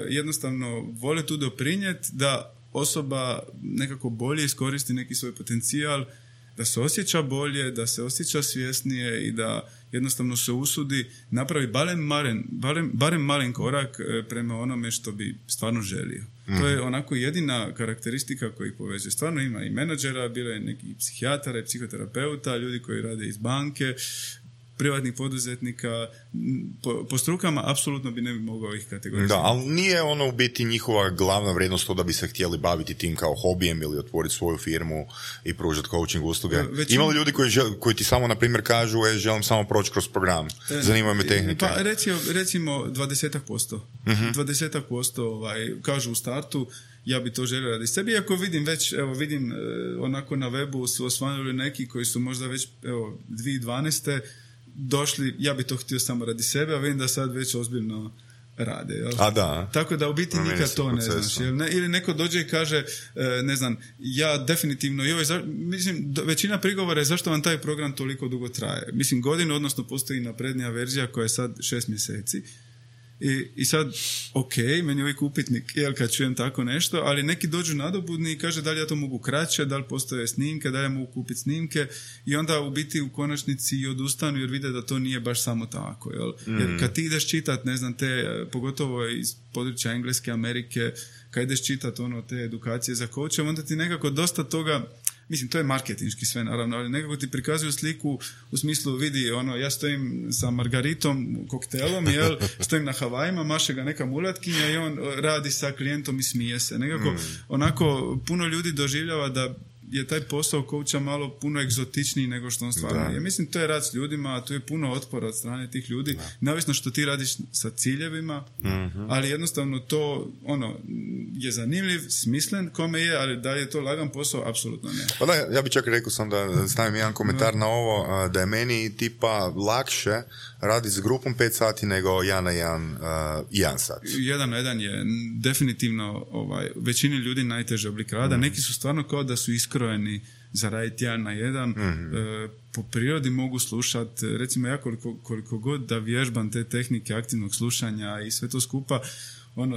[SPEAKER 3] jednostavno vole tu doprinijeti da osoba nekako bolje iskoristi neki svoj potencijal, da se osjeća bolje, da se osjeća svjesnije i da jednostavno se usudi napravi barem malen korak prema onome što bi stvarno želio. To je onako jedina karakteristika koji povezuje. Stvarno ima i menadžera, bilo je neki psihijatara i psihoterapeuta, ljudi koji rade iz banke, privatnih poduzetnika, po strukama apsolutno bi ne bi mogao ih kategorizirati.
[SPEAKER 2] Da, ali nije ono u biti njihova glavna vrijednost to da bi se htjeli baviti tim kao hobijem ili otvoriti svoju firmu i pružati coaching usluge. Ima li ljudi koji ti samo, na primjer, kažu želim samo proći kroz program, zanimaju me tehnike?
[SPEAKER 3] Pa recimo 20%. 20% kažu u startu ja bi to želio raditi sebi, iako vidim onako na webu su osvanuli neki koji su možda već 2012. došli, ja bi to htio samo radi sebe, a vidim da sad već ozbiljno rade. Jel?
[SPEAKER 2] A da.
[SPEAKER 3] Tako da u biti nikad to ne znaš. Ili neko dođe i kaže, ne znam, ja definitivno, mislim, većina prigovora je zašto vam taj program toliko dugo traje. Mislim, godinu, odnosno postoji naprednija verzija koja je sad 6 mjeseci. I sad, meni je uvijek upitnik, kad čujem tako nešto, ali neki dođu nadobudni i kaže da li ja to mogu kraće, da li postoje snimke, da li ja mogu kupiti snimke i onda u biti u konačnici i odustanu jer vide da to nije baš samo tako. Jer kad ti ideš čitat, ne znam, pogotovo iz područja Engleske, Amerike, kad ideš čitat te edukacije za coache, onda ti nekako dosta toga mislim, to je marketinški sve naravno, ali nekako ti prikazuju sliku u smislu, vidi, ja stojim sa margaritom, koktelom, stojim na Havajima, maše ga neka mulatkinja i on radi sa klijentom i smije se. Nekako, onako, puno ljudi doživljava da je taj posao coacha malo puno egzotičniji nego što on stvarno je. Mislim, to je rad s ljudima, a tu je puno otpora od strane tih ljudi, neovisno što ti radiš sa ciljevima, ali jednostavno to je zanimljiv, smislen kome je, ali da je to lagan posao, apsolutno ne.
[SPEAKER 2] Pa da, ja bih čak rekao sam da stavim jedan komentar na ovo, da je meni tipa lakše raditi s grupom 5 sati nego 1 na 1 sat.
[SPEAKER 3] 1 na 1 je definitivno većini ljudi najteži oblik rada. Neki su stvarno kao da su iskrojeni za raditi 1 na 1. Po prirodi mogu slušati, recimo ja koliko god da vježbam te tehnike aktivnog slušanja i sve to skupa,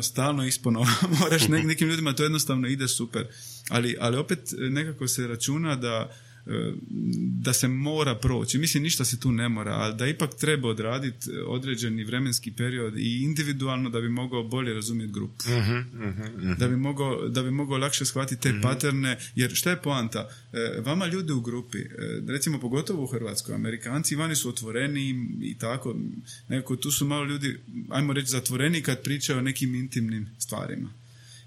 [SPEAKER 3] stalno ispono moraš nekim ljudima, to jednostavno ide super. Ali opet nekako se računa da se mora proći. Mislim, ništa se tu ne mora, ali da ipak treba odraditi određeni vremenski period i individualno da bi mogao bolje razumjeti grupu. Da bi mogao lakše shvatiti te paterne, jer šta je poanta? Vama ljudi u grupi, recimo pogotovo u Hrvatskoj, Amerikanci vani su otvoreni i tako, nekako tu su malo ljudi, ajmo reći, zatvoreni kad pričaju o nekim intimnim stvarima.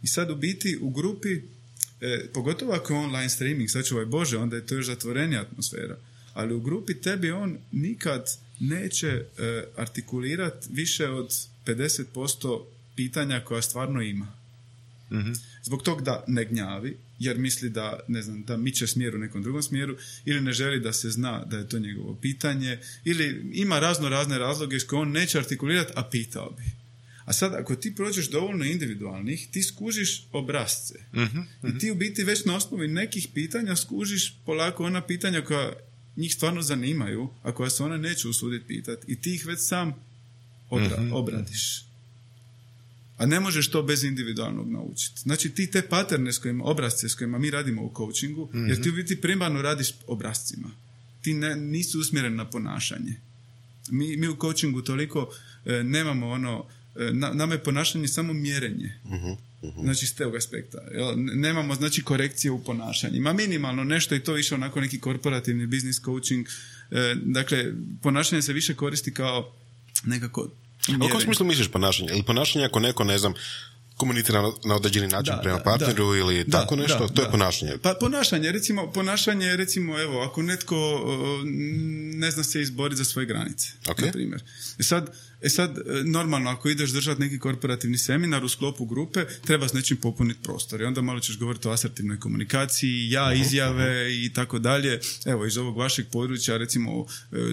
[SPEAKER 3] I sad u biti u grupi, pogotovo ako je online streaming, sad čuvaj Bože, onda je to još zatvorenija atmosfera. Ali u grupi tebi on nikad neće artikulirati više od 50% pitanja koja stvarno ima. Zbog tog da ne gnjavi, jer misli da miče smjer u nekom drugom smjeru, ili ne želi da se zna da je to njegovo pitanje, ili ima razne razloge s koje on neće artikulirati, a pitao bi. A sad, ako ti prođeš dovoljno individualnih, ti skužiš obrasce. I ti u biti već na osnovi nekih pitanja skužiš polako ona pitanja koja njih stvarno zanimaju, a koja se ona neće usuditi pitati. I ti ih već sam obradiš. A ne možeš to bez individualnog naučiti. Znači ti te paterne obrasce s kojima mi radimo u coachingu, jer ti u biti primarno radiš obrascima. Ti nisu usmjereni na ponašanje. Mi u coachingu toliko nemamo nama je ponašanje samo mjerenje. Znači s tog aspekta. Nemamo znači korekcije u ponašanju. Ima minimalno nešto i to više onako neki korporativni business coaching. Dakle, ponašanje se više koristi kao nekako mjerenje.
[SPEAKER 4] U kom smislu misliš ponašanje? Ili ponašanje ako neko, ne znam, komunicira na određeni način prema partneru ili tako nešto, to je ponašanje.
[SPEAKER 3] Pa ponašanje recimo, evo, ako netko ne zna se izboriti za svoje granice, na primjer. E sad, normalno, ako ideš držati neki korporativni seminar u sklopu grupe, treba s nečim popuniti prostor. I onda malo ćeš govoriti o asertivnoj komunikaciji, izjave i tako dalje. Evo, iz ovog vašeg područja, recimo,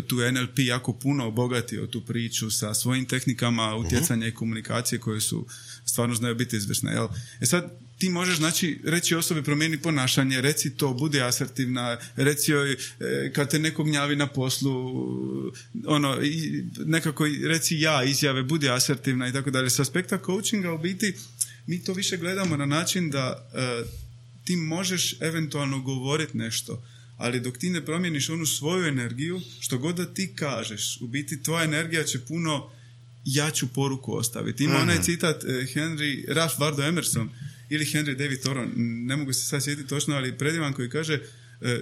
[SPEAKER 3] tu NLP jako puno obogatio tu priču sa svojim tehnikama utjecanja i komunikacije koje su stvarno znaju biti izvrsne. Jel? E sad, ti možeš, znači, reći osobi promijeni ponašanje, reci to, budi asertivna, reci joj kad te neko gnjavi na poslu, nekako reci izjave, budi asertivna i tako dalje. S aspekta coachinga u biti mi to više gledamo na način da ti možeš eventualno govoriti nešto, ali dok ti ne promijeniš onu svoju energiju, što god da ti kažeš, u biti tvoja energija će puno jaču poruku ostaviti. Ima onaj citat Ralph Waldo Emerson ili Henry David Thoreau, ne mogu se sad sjetiti točno, ali predivan koji kaže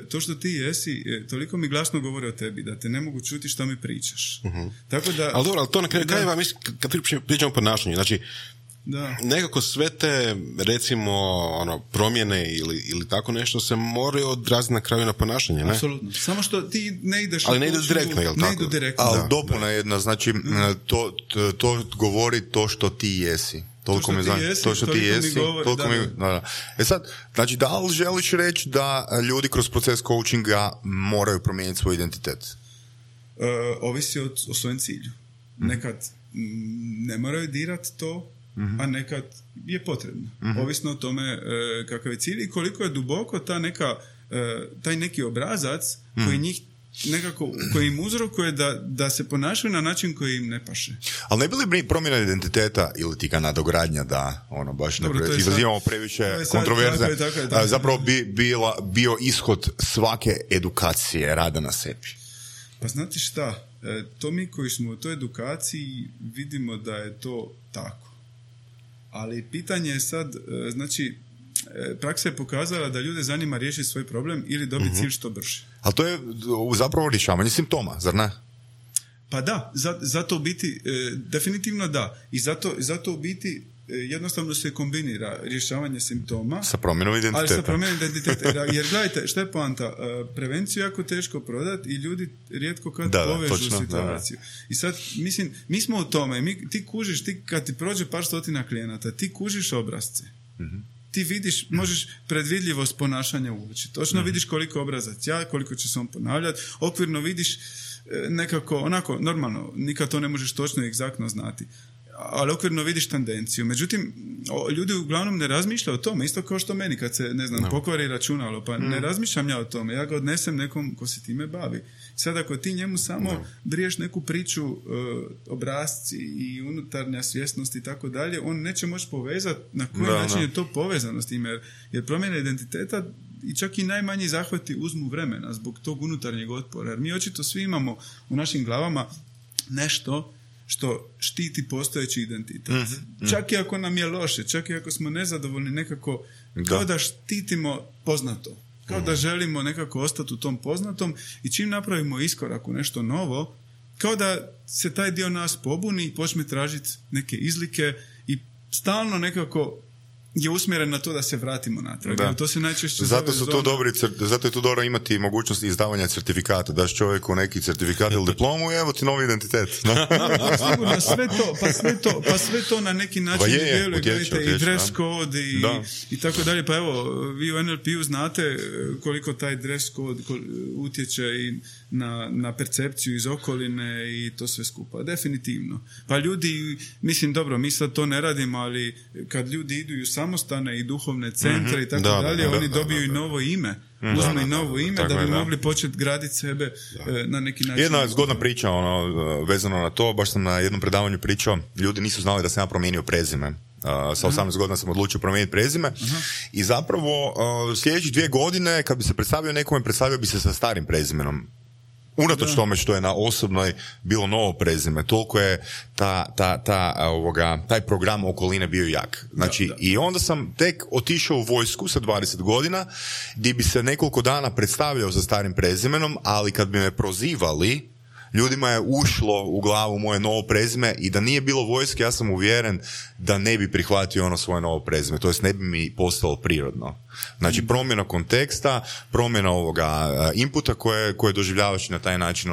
[SPEAKER 3] to što ti jesi, toliko mi glasno govori o tebi da te ne mogu čuti što mi pričaš. Tako da,
[SPEAKER 4] ali dobro, ali to na kraju krajeva, kad pričamo o ponašanju, znači nekako sve te, recimo, promjene ili tako nešto se moraju odraziti na kraju na ponašanje, ne?
[SPEAKER 3] Apsolutno. Samo što ti ne ideš...
[SPEAKER 4] Ali ne ide direktno, jel tako?
[SPEAKER 3] Ne idu direktno.
[SPEAKER 2] Ali dopuna jedna, znači, to govori to što ti jesi. Toliko što ti jesi, toliko mi... E sad, znači, da li želiš reći da ljudi kroz proces coachinga moraju promijeniti svoj identitet?
[SPEAKER 3] Ovisi o svojem cilju. Nekad ne moraju dirati to, a nekad je potrebno. Ovisno o tome kakav je cilj i koliko je duboko taj neki obrazac koji njih nekako, koji im uzrokuje da se ponašaju na način koji im ne paše.
[SPEAKER 2] Ali ne bi li promjena identiteta ili ti ga nadogradnja da baš ne izazivamo previše kontroverze, zapravo bio ishod svake edukacije rada na sebi?
[SPEAKER 3] Pa znate šta, to mi koji smo u toj edukaciji vidimo da je to tako. Ali pitanje je sad, znači, praksa je pokazala da ljude zanima riješiti svoj problem ili dobiti cilj što brže.
[SPEAKER 2] Ali to je zapravo rješavanje simptoma, zar ne?
[SPEAKER 3] Pa da, zato u biti, definitivno da. I zato u biti jednostavno se kombinira rješavanje simptoma
[SPEAKER 2] sa promjenom identiteta.
[SPEAKER 3] Ali sa promjenom identiteta. Jer gledajte, šta je poanta? Prevenciju je jako teško prodati i ljudi rijetko kad povežu situaciju. I sad, mislim, mi smo u tome. Ti kužiš, kad ti prođe par stotina klijenata, ti kužiš obrasce. Ti vidiš, možeš predvidljivost ponašanja uoči. Točno vidiš koliko obrazac ja, koliko će se on ponavljati. Okvirno vidiš nekako, onako, normalno, nikad to ne možeš točno i egzaktno znati. Ali okvirno vidiš tendenciju. Međutim, ljudi uglavnom ne razmišljaju o tome. Isto kao što meni kad se, ne znam, pokvari računalo. Pa ne razmišljam ja o tome. Ja ga odnesem nekom ko se time bavi. Sad ako ti njemu samo briješ neku priču obrasci i unutarnja svjesnost i tako dalje, on neće moći povezati na koji način je to povezano s time. Jer promjena identiteta i čak i najmanji zahvati uzmu vremena zbog tog unutarnjeg otpora. Jer mi očito svi imamo u našim glavama nešto što štiti postojeći identitet. Čak i ako nam je loše, čak i ako smo nezadovoljni, nekako kao da štitimo poznato. Kao da želimo nekako ostati u tom poznatom i čim napravimo iskorak u nešto novo, kao da se taj dio nas pobuni i počne tražiti neke izlike i stalno nekako je usmjeren na to da se vratimo natrag. To se najčešće
[SPEAKER 2] zato je to dobro imati mogućnost izdavanja certifikata. Daš čovjeku neki certifikat ili diplomu i evo ti novi identitet.
[SPEAKER 3] Sigurno, sve to na neki način djeluje, i dress code i tako dalje. Pa evo, vi u NLP-u znate koliko taj dress code utječe i na percepciju iz okoline i to sve skupa. Definitivno. Pa ljudi, mislim, dobro, mi sad to ne radimo, ali kad ljudi idu u samostane i duhovne centre i tako dalje, oni dobiju i novo ime. Uzme i novo ime da bi mogli početi graditi sebe na neki način.
[SPEAKER 2] Jedna zgodna priča vezano na to, baš sam na jednom predavanju pričao, ljudi nisu znali da sam ja promijenio prezime. Sa 18 godina sam odlučio promijeniti prezime i zapravo sljedećih 2 godine kad bi se predstavio nekome, predstavio bi se sa starim prezimenom. Unatoč tome što je na osobnoj bilo novo prezime, toliko je taj program okoline bio jak. Znači, i onda sam tek otišao u vojsku sa 20 godina, gdje bi se nekoliko dana predstavljao sa starim prezimenom, ali kad bi me prozivali, ljudima je ušlo u glavu moje novo prezime i da nije bilo vojske, ja sam uvjeren da ne bi prihvatio ono svoje novo prezime, to jest ne bi mi postalo prirodno. Znači, promjena konteksta, promjena ovoga inputa koje doživljavaš na taj način,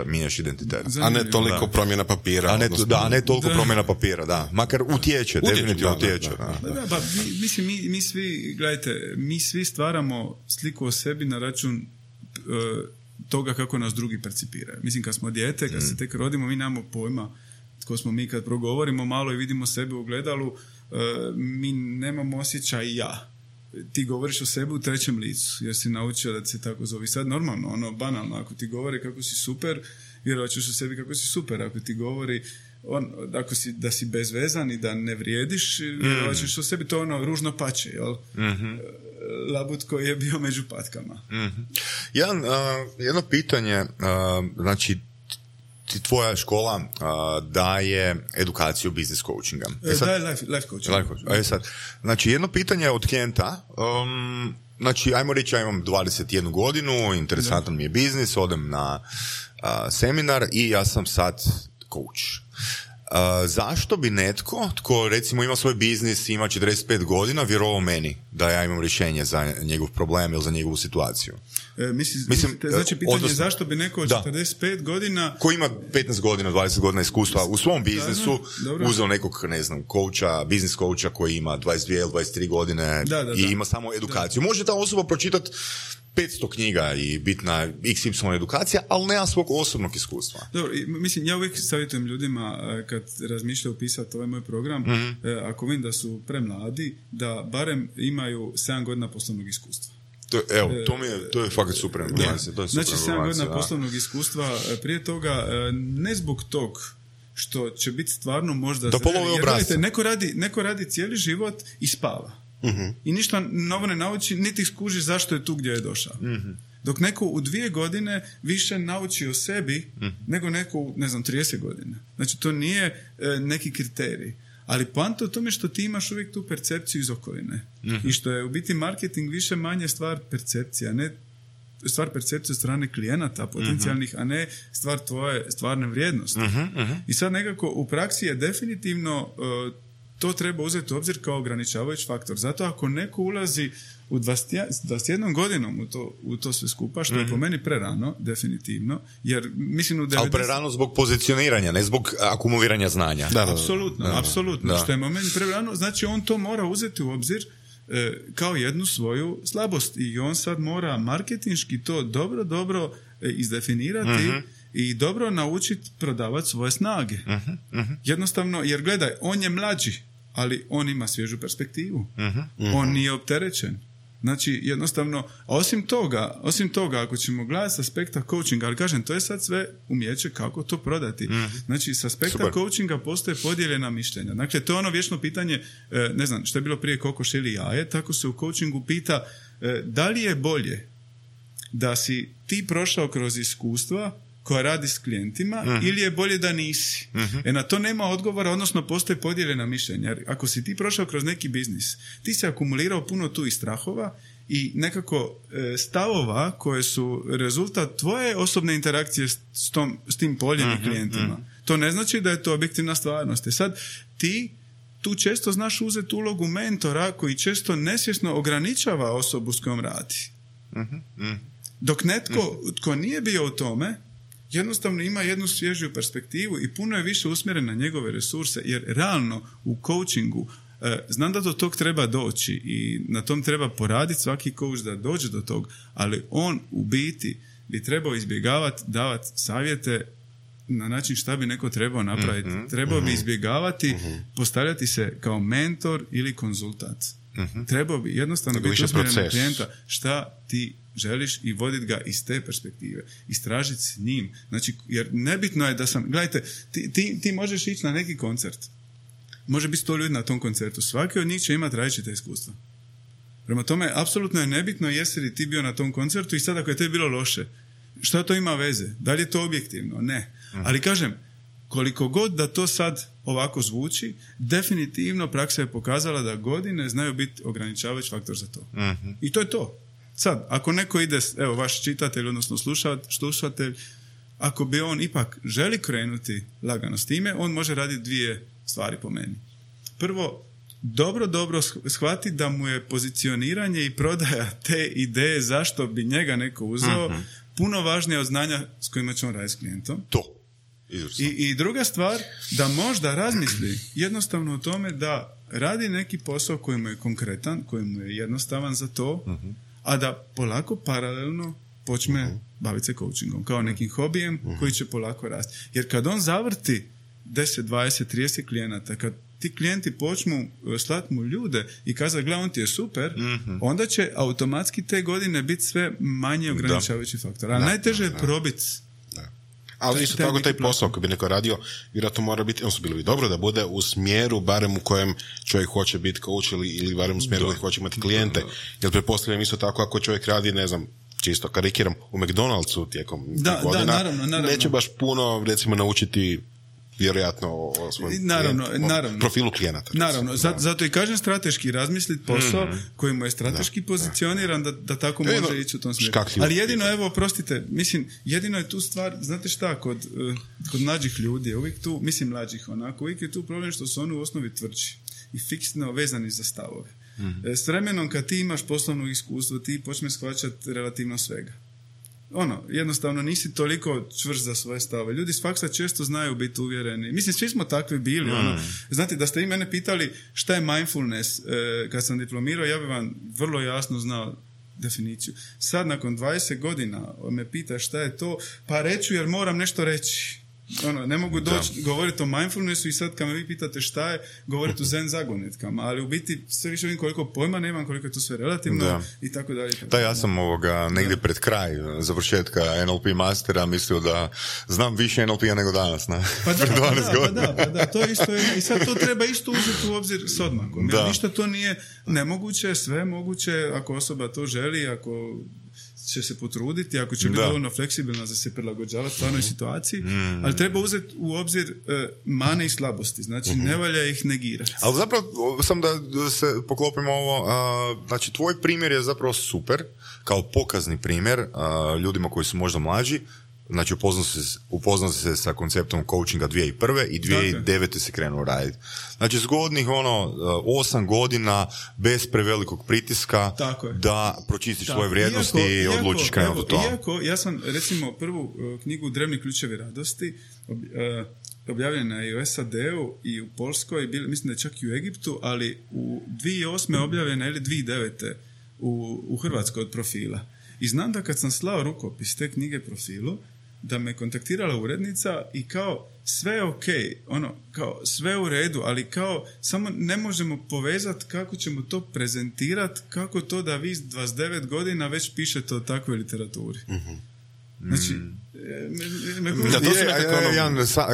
[SPEAKER 2] mijenjaš identitet.
[SPEAKER 4] A ne toliko promjena papira.
[SPEAKER 2] A ne toliko promjena papira, da. Makar utječe, definitivno utječe.
[SPEAKER 3] Mislim, mi svi, gledajte, mi svi stvaramo sliku o sebi na račun toga kako nas drugi percipiraju. Mislim, kad smo dijete, kad se tek rodimo, mi nemamo pojma tko smo mi. Kad progovorimo malo i vidimo sebe u gledalu, mi nemamo osjećaj ja. Ti govoriš o sebi u trećem licu, jer si naučio da se tako zove. Sad normalno, banalno, ako ti govori kako si super, vjerovat ćeš o sebi kako si super. Ako ti govori da si bezvezan i da ne vrijediš, vjerovat ćeš o sebi, to ružno pače, jel? Labut koji je bio među patkama.
[SPEAKER 2] Jedno pitanje, znači tvoja škola daje edukaciju business coachinga.
[SPEAKER 3] Daje life coaching.
[SPEAKER 2] Znači, jedno pitanje od klijenta, znači, ajmo reći, ja imam 21 godinu, interesantan mi je biznis, odem na seminar i ja sam sad coach. Zašto bi netko tko recimo ima svoj biznis, ima 45 godina, vjerovao meni da ja imam rješenje za njegov problem ili za njegovu situaciju?
[SPEAKER 3] Mislim, znači pitanje je zašto bi neko od 45 godina
[SPEAKER 2] ko ima 15 godina, 20 godina iskustva u svom biznisu uzeo nekog, ne znam, coacha, business coacha koji ima 22 ili 23 godine i ima samo edukaciju. Može ta osoba pročitati 500 knjiga i biti na XY edukacija, ali nema svog osobnog iskustva.
[SPEAKER 3] Dobro, mislim, ja uvijek savjetujem ljudima kad razmišljaju pisati ovaj moj program, ako vidim da su premladi, da barem imaju 7 godina poslovnog iskustva.
[SPEAKER 2] To je fakat super.
[SPEAKER 3] Znači 7 godina poslovnog iskustva, prije toga, ne zbog tog što će biti stvarno možda...
[SPEAKER 2] Da polove obrazce.
[SPEAKER 3] Neko radi cijeli život i spava. I ništa novo ne nauči, niti skuži zašto je tu gdje je došao. Dok neko u 2 godine više nauči o sebi nego neko u, 30 godina. Znači, to nije neki kriterij. Ali poanta u tome što ti imaš uvijek tu percepciju iz okoline. I što je u biti marketing više manje stvar percepcija, ne stvar percepcije od strane klijenata potencijalnih, a ne stvar tvoje stvarne vrijednosti. I sad nekako u praksi je definitivno to treba uzeti u obzir kao ograničavajući faktor. Zato ako neko ulazi u 21 godinom u to sve skupa, što je po meni prerano, definitivno, jer mislim
[SPEAKER 2] ali prerano zbog pozicioniranja, ne zbog akumuliranja znanja.
[SPEAKER 3] Apsolutno. Što je po meni prerano, znači on to mora uzeti u obzir kao jednu svoju slabost i on sad mora marketinški to dobro izdefinirati i dobro naučiti prodavati svoje snage. Jednostavno, jer gledaj, on je mlađi, ali on ima svježu perspektivu. On nije opterećen. Znači, jednostavno, osim toga, ako ćemo gledati s aspekta coachinga, ali kažem, to je sad sve umijeće kako to prodati. Znači, s aspekta coachinga postoje podijeljena mišljenja. Dakle, to je ono vječno pitanje, ne znam, što je bilo prije kokoš ili jaje, tako se u coachingu pita da li je bolje da si ti prošao kroz iskustva koja radi s klijentima ili je bolje da nisi. Na to nema odgovora, odnosno postoje podijeljena mišljenja. Jer ako si ti prošao kroz neki biznis, ti si akumulirao puno tu i strahova i nekako stavova koje su rezultat tvoje osobne interakcije s tim poljem i klijentima. To ne znači da je to objektivna stvarnost. Sad ti tu često znaš uzeti ulogu mentora koji često nesvjesno ograničava osobu s kojom radi. Dok netko tko nije bio u tome jednostavno ima jednu svježiju perspektivu i puno je više usmjeren na njegove resurse, jer realno u coachingu znam da do tog treba doći i na tom treba poraditi svaki coach da dođe do tog, ali on u biti bi trebao izbjegavati davati savjete na način šta bi neko trebao napraviti. Trebao bi izbjegavati postavljati se kao mentor ili konzultant. Trebao bi jednostavno biti usmjeren na klijenta šta ti želiš i voditi ga iz te perspektive. Istražiti s njim. Znači, jer nebitno je da gledajte, ti možeš ići na neki koncert. Može biti 100 ljudi na tom koncertu. Svaki od njih će imati različite iskustva. Prema tome, apsolutno je nebitno jesi li ti bio na tom koncertu i sad ako je tebi bilo loše, šta to ima veze? Da li je to objektivno? Ne. Ali kažem, koliko god da to sad ovako zvuči, definitivno praksa je pokazala da godine znaju biti ograničavajući faktor za to. I to je to. Sad, ako neko ide, evo, vaš čitatelj, odnosno slušatelj, ako bi on ipak želi krenuti lagano s time, on može raditi 2 stvari po meni. Prvo, dobro shvati da mu je pozicioniranje i prodaja te ideje zašto bi njega neko uzeo puno važnije od znanja s kojima će on raditi s klijentom.
[SPEAKER 2] To.
[SPEAKER 3] I druga stvar, da možda razmisli jednostavno o tome da radi neki posao koji mu je konkretan, koji mu je jednostavan za to, a da polako paralelno počne baviti se coachingom kao nekim hobijem koji će polako rasti. Jer kad on zavrti 10, 20, 30 klijenata, kad ti klijenti počnu slati mu ljude i kazati, gle, on ti je super, onda će automatski te godine biti sve manje ograničavajući faktor. Ali najteže je probiti.
[SPEAKER 4] Ali isto tako taj posao koji bi neko radio, vjerojatno mora biti, bilo bi dobro da bude u smjeru barem u kojem čovjek hoće biti coach ili barem u smjeru koji hoće imati klijente. Jer pretpostavljam isto tako ako čovjek radi, ne znam, čisto karikiram, u McDonald'su tijekom godina, naravno. Neće baš puno, recimo, naučiti vjerojatno o svojem profilu klijenata.
[SPEAKER 3] Naravno, zato i kažem strateški razmisliti posao koji mu je strateški pozicioniran da tako može ići u tom smjeru. Ali jedino, evo, oprostite, mislim, jedino je tu stvar, znate šta, kod mlađih ljudi je uvijek tu, mislim mlađih onako, uvijek je tu problem što su oni u osnovi tvrđi i fiksno vezani za stavove. S vremenom kad ti imaš poslovno iskustvo, ti počneš shvaćati relativno svega. Jednostavno nisi toliko čvrst za svoje stave. Ljudi s faksa često znaju biti uvjereni. Mislim, svi smo takvi bili. Znate, da ste vi mene pitali šta je mindfulness kad sam diplomirao, ja bih vam vrlo jasno znao definiciju. Sad, nakon 20 godina me pita šta je to, pa reću jer moram nešto reći. Ne mogu doći govoriti o mindfulnessu i sad kad me vi pitate šta je, govoriti o zen zagonetkama, ali u biti sve više vidim koliko pojma nemam, koliko je to sve relativno i tako dalje.
[SPEAKER 2] Da, ja sam negdje pred kraj završetka NLP mastera mislio da znam više NLP-a nego danas.
[SPEAKER 3] Pa da, to isto je, i sad to treba isto uzeti u obzir s odmakom. Ništa to nije nemoguće, sve moguće ako osoba to želi, ako će se potruditi, ako će biti dovoljno fleksibilna za se prilagođavati stvarnoj situaciji, ali treba uzeti u obzir mane i slabosti, znači ne valja ih negirati.
[SPEAKER 2] Ali zapravo, sam da se poklopimo ovo, znači tvoj primjer je zapravo super, kao pokazni primjer ljudima koji su možda mlađi. Znači upoznao se sa konceptom coachinga 2001. i 2009. se krenuo raditi. Znači zgodnih 8 godina bez prevelikog pritiska da pročistiš svoje vrijednosti i odlučiš krenuti u to.
[SPEAKER 3] Iako, ja sam recimo prvu knjigu Drevni ključevi radosti objavljena je i u SAD-u i u Poljskoj, mislim da je čak i u Egiptu, ali u 2008. objavljena ili 2009. u Hrvatskoj od Profila. I znam da kad sam slao rukopis te knjige Profilu, da me kontaktirala urednica i kao sve je okej, kao sve u redu, ali kao samo ne možemo povezati kako ćemo to prezentirati, kako to da vi s 29 godina već pišete o takvoj literaturi. Znači,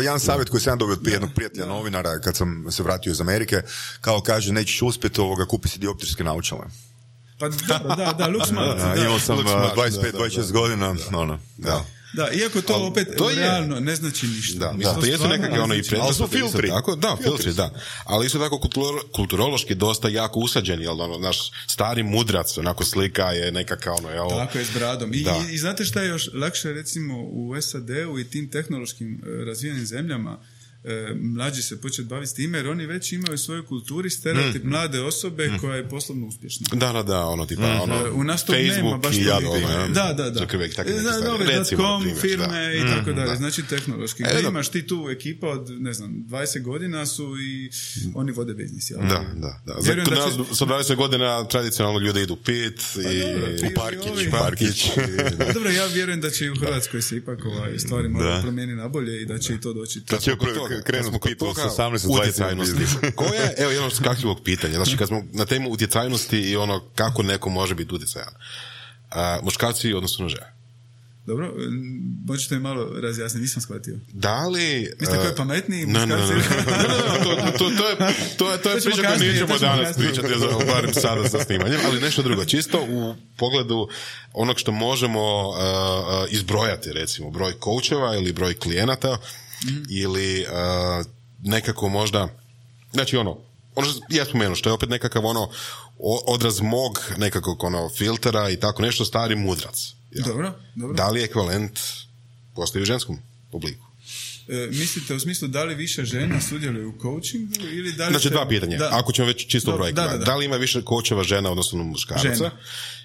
[SPEAKER 2] jedan savjet koji sam dobio od jednog prijatelja novinara kad sam se vratio iz Amerike, kao kaže, nećeš uspjeti kupi si dioptrijske naočale.
[SPEAKER 3] Pa da, look smart.
[SPEAKER 2] Imao sam 25-26 godina,
[SPEAKER 3] Da, iako to opet realno ne znači ništa.
[SPEAKER 4] Da, to jesu nekakve i prednosti.
[SPEAKER 2] Ali su filtri.
[SPEAKER 4] Filtri, da. Ali isto tako kulturološki dosta jako usađeni, jel, naš stari mudrac, onako slika je nekakav jel.
[SPEAKER 3] Tako je, s bradom. I znate šta je još lakše, recimo, u SAD-u i tim tehnološkim razvijenim zemljama, mlađi se početi baviti s time, jer oni već imaju u svojoj kulturi stereotip mlade osobe koja je poslovno uspješna. U nas to nema baš .com, firme i tako dalje. Znači tehnološki. Imaš ti tu ekipa od, 20 godina su i oni vode biznis.
[SPEAKER 4] Da. Kod nas sa 20 godina tradicionalno ljudi idu pit i u parkić.
[SPEAKER 3] Dobro, ja vjerujem da će i u Hrvatskoj se ipak stvari moraju promijeniti na bolje i da će i to doći.
[SPEAKER 2] Krenuti pitao sa 18-20
[SPEAKER 4] koje, evo jedno skakljivog pitanja, znači kad smo na temu utjecajnosti i kako neko može biti utjecajan, muškarci odnosno žene.
[SPEAKER 3] Dobro, možete mi malo razjasniti, nisam shvatio.
[SPEAKER 4] Da li...
[SPEAKER 3] Mislite koji je pametniji muškarci?
[SPEAKER 4] To je priča koju nećemo danas pričati, barem sada sa snimanjem, ali nešto drugo, čisto u pogledu onog što možemo izbrojati, recimo, broj coacheva ili broj klijenata, ili nekako možda, znači ono što ja spomenuo, što je opet nekakav odraz mog nekakvog filtera i tako nešto, stari mudrac. Ja.
[SPEAKER 3] Dobro.
[SPEAKER 4] Da li ekvivalent postoji u ženskom obliku?
[SPEAKER 3] Mislite u smislu da li više žena sudjeluju u coachingu ili da li...
[SPEAKER 4] Znači dva pitanja, ako ćemo već čisto brojiti. Da li ima više coacheva žena odnosno muškaraca? Žena.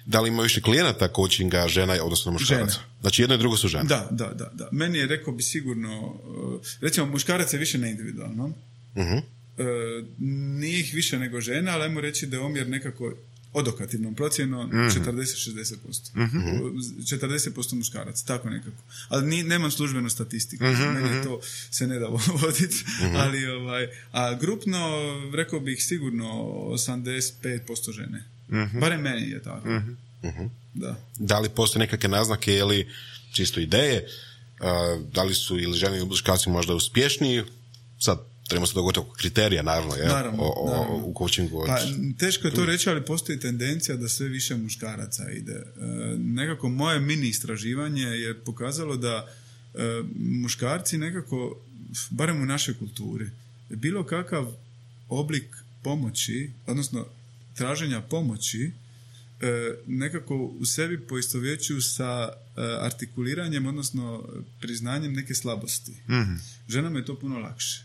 [SPEAKER 4] Da li ima više klijenata coachinga žena odnosno muškaraca? Žena. Znači jedno i drugo su žene.
[SPEAKER 3] Da. Meni je, rekao bi sigurno, recimo muškarac je više neindividualno. Nije ih više nego žena, ali ajmo reći da je omjer nekako odokativnom procjenom 40-60%. 40% muškaraca, tako nekako. Ali nemam službenu statistiku, meni to se ne da voditi, ali a grupno, rekao bih sigurno 85% žene. Barem meni je tako.
[SPEAKER 4] Da li postoje nekakve naznake ili čisto ideje, da li su ili žene ili muškarci možda uspješniji, sad trebamo se dogoditi oko kriterija, naravno. U coachingu.
[SPEAKER 3] Pa, teško je to reći, ali postoji tendencija da sve više muškaraca ide. Nekako moje mini istraživanje je pokazalo da muškarci nekako, barem u našoj kulturi, bilo kakav oblik pomoći, odnosno traženja pomoći, nekako u sebi poistovjećuju sa artikuliranjem, odnosno priznanjem neke slabosti. Ženama je to puno lakše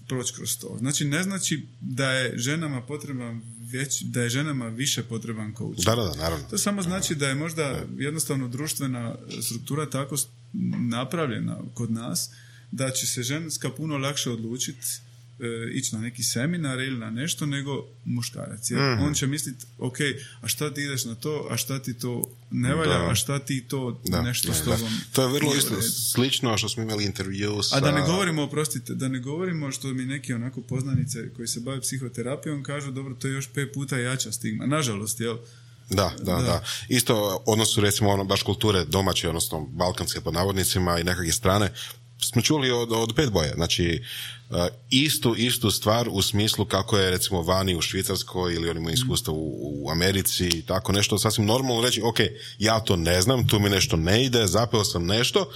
[SPEAKER 3] proći kroz to. Znači, ne znači da je ženama da je ženama više potreban coach.
[SPEAKER 4] Da, naravno.
[SPEAKER 3] To samo znači da je možda jednostavno društvena struktura tako napravljena kod nas da će se ženska puno lakše odlučiti ići na neki seminar ili na nešto nego muškarac. Jer on će misliti, ok, a šta ti ideš na to, a šta ti to ne valja, a šta ti to nešto s tobom...
[SPEAKER 4] To je vrlo isto slično što smo imali intervju sa...
[SPEAKER 3] A da ne govorimo što mi neki onako poznanice koji se bave psihoterapijom kažu, dobro, to je još 5 puta jača stigma. Nažalost, jel?
[SPEAKER 4] Da. Isto odnosu recimo baš kulture domaće, odnosno balkanske pod navodnicima i nekakve strane, smo čuli od Bad Boya, znači istu stvar u smislu kako je recimo vani u Švicarskoj ili oni imaju iskustva u Americi i tako nešto, sasvim normalno reći, ok, ja to ne znam, tu mi nešto ne ide, zapeo sam nešto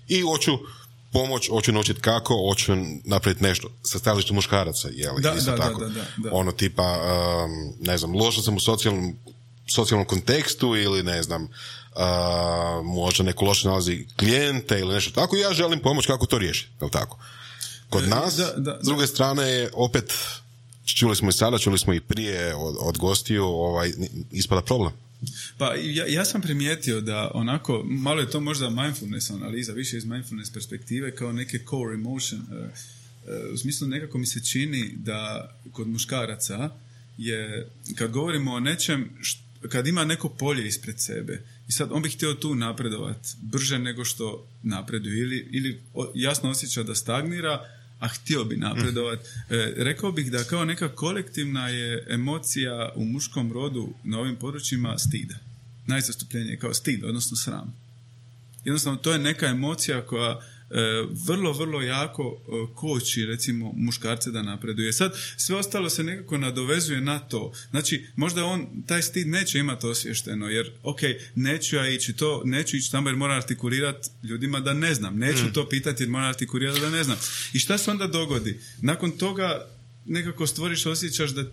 [SPEAKER 4] i hoću pomoć, hoću naučiti kako, hoću napraviti nešto sa stajališta muškaraca, jel? Da. Ono tipa, ne znam, lošo sam u socijalnom kontekstu ili ne znam, možda neko loše nalazi klijente ili nešto tako, ja želim pomoć kako to riješiti, jel tako? Kod nas, s druge strane, je opet, čuli smo i sada, čuli smo i prije od gostiju, ispada problem.
[SPEAKER 3] Pa ja sam primijetio da onako, malo je to možda mindfulness analiza, više iz mindfulness perspektive, kao neke core emotion. U smislu nekako mi se čini da kod muškaraca je, kad govorimo o nečem, kad ima neko polje ispred sebe i sad on bi htio tu napredovati brže nego što napreduje ili jasno osjeća da stagnira, a htio bi napredovati. Rekao bih da kao neka kolektivna je emocija u muškom rodu na ovim područjima stida. Najzastupljenije je kao stid, odnosno sram. Jednostavno, to je neka emocija koja vrlo, vrlo jako koči, recimo, muškarce da napreduje. Sad, sve ostalo se nekako nadovezuje na to. Znači, možda on taj stid neće imati osvješteno, jer, ok, neću ići tamo jer moram artikulirati ljudima da ne znam. Neću to pitati jer moram artikulirati da ne znam. I šta se onda dogodi? Nakon toga nekako stvoriš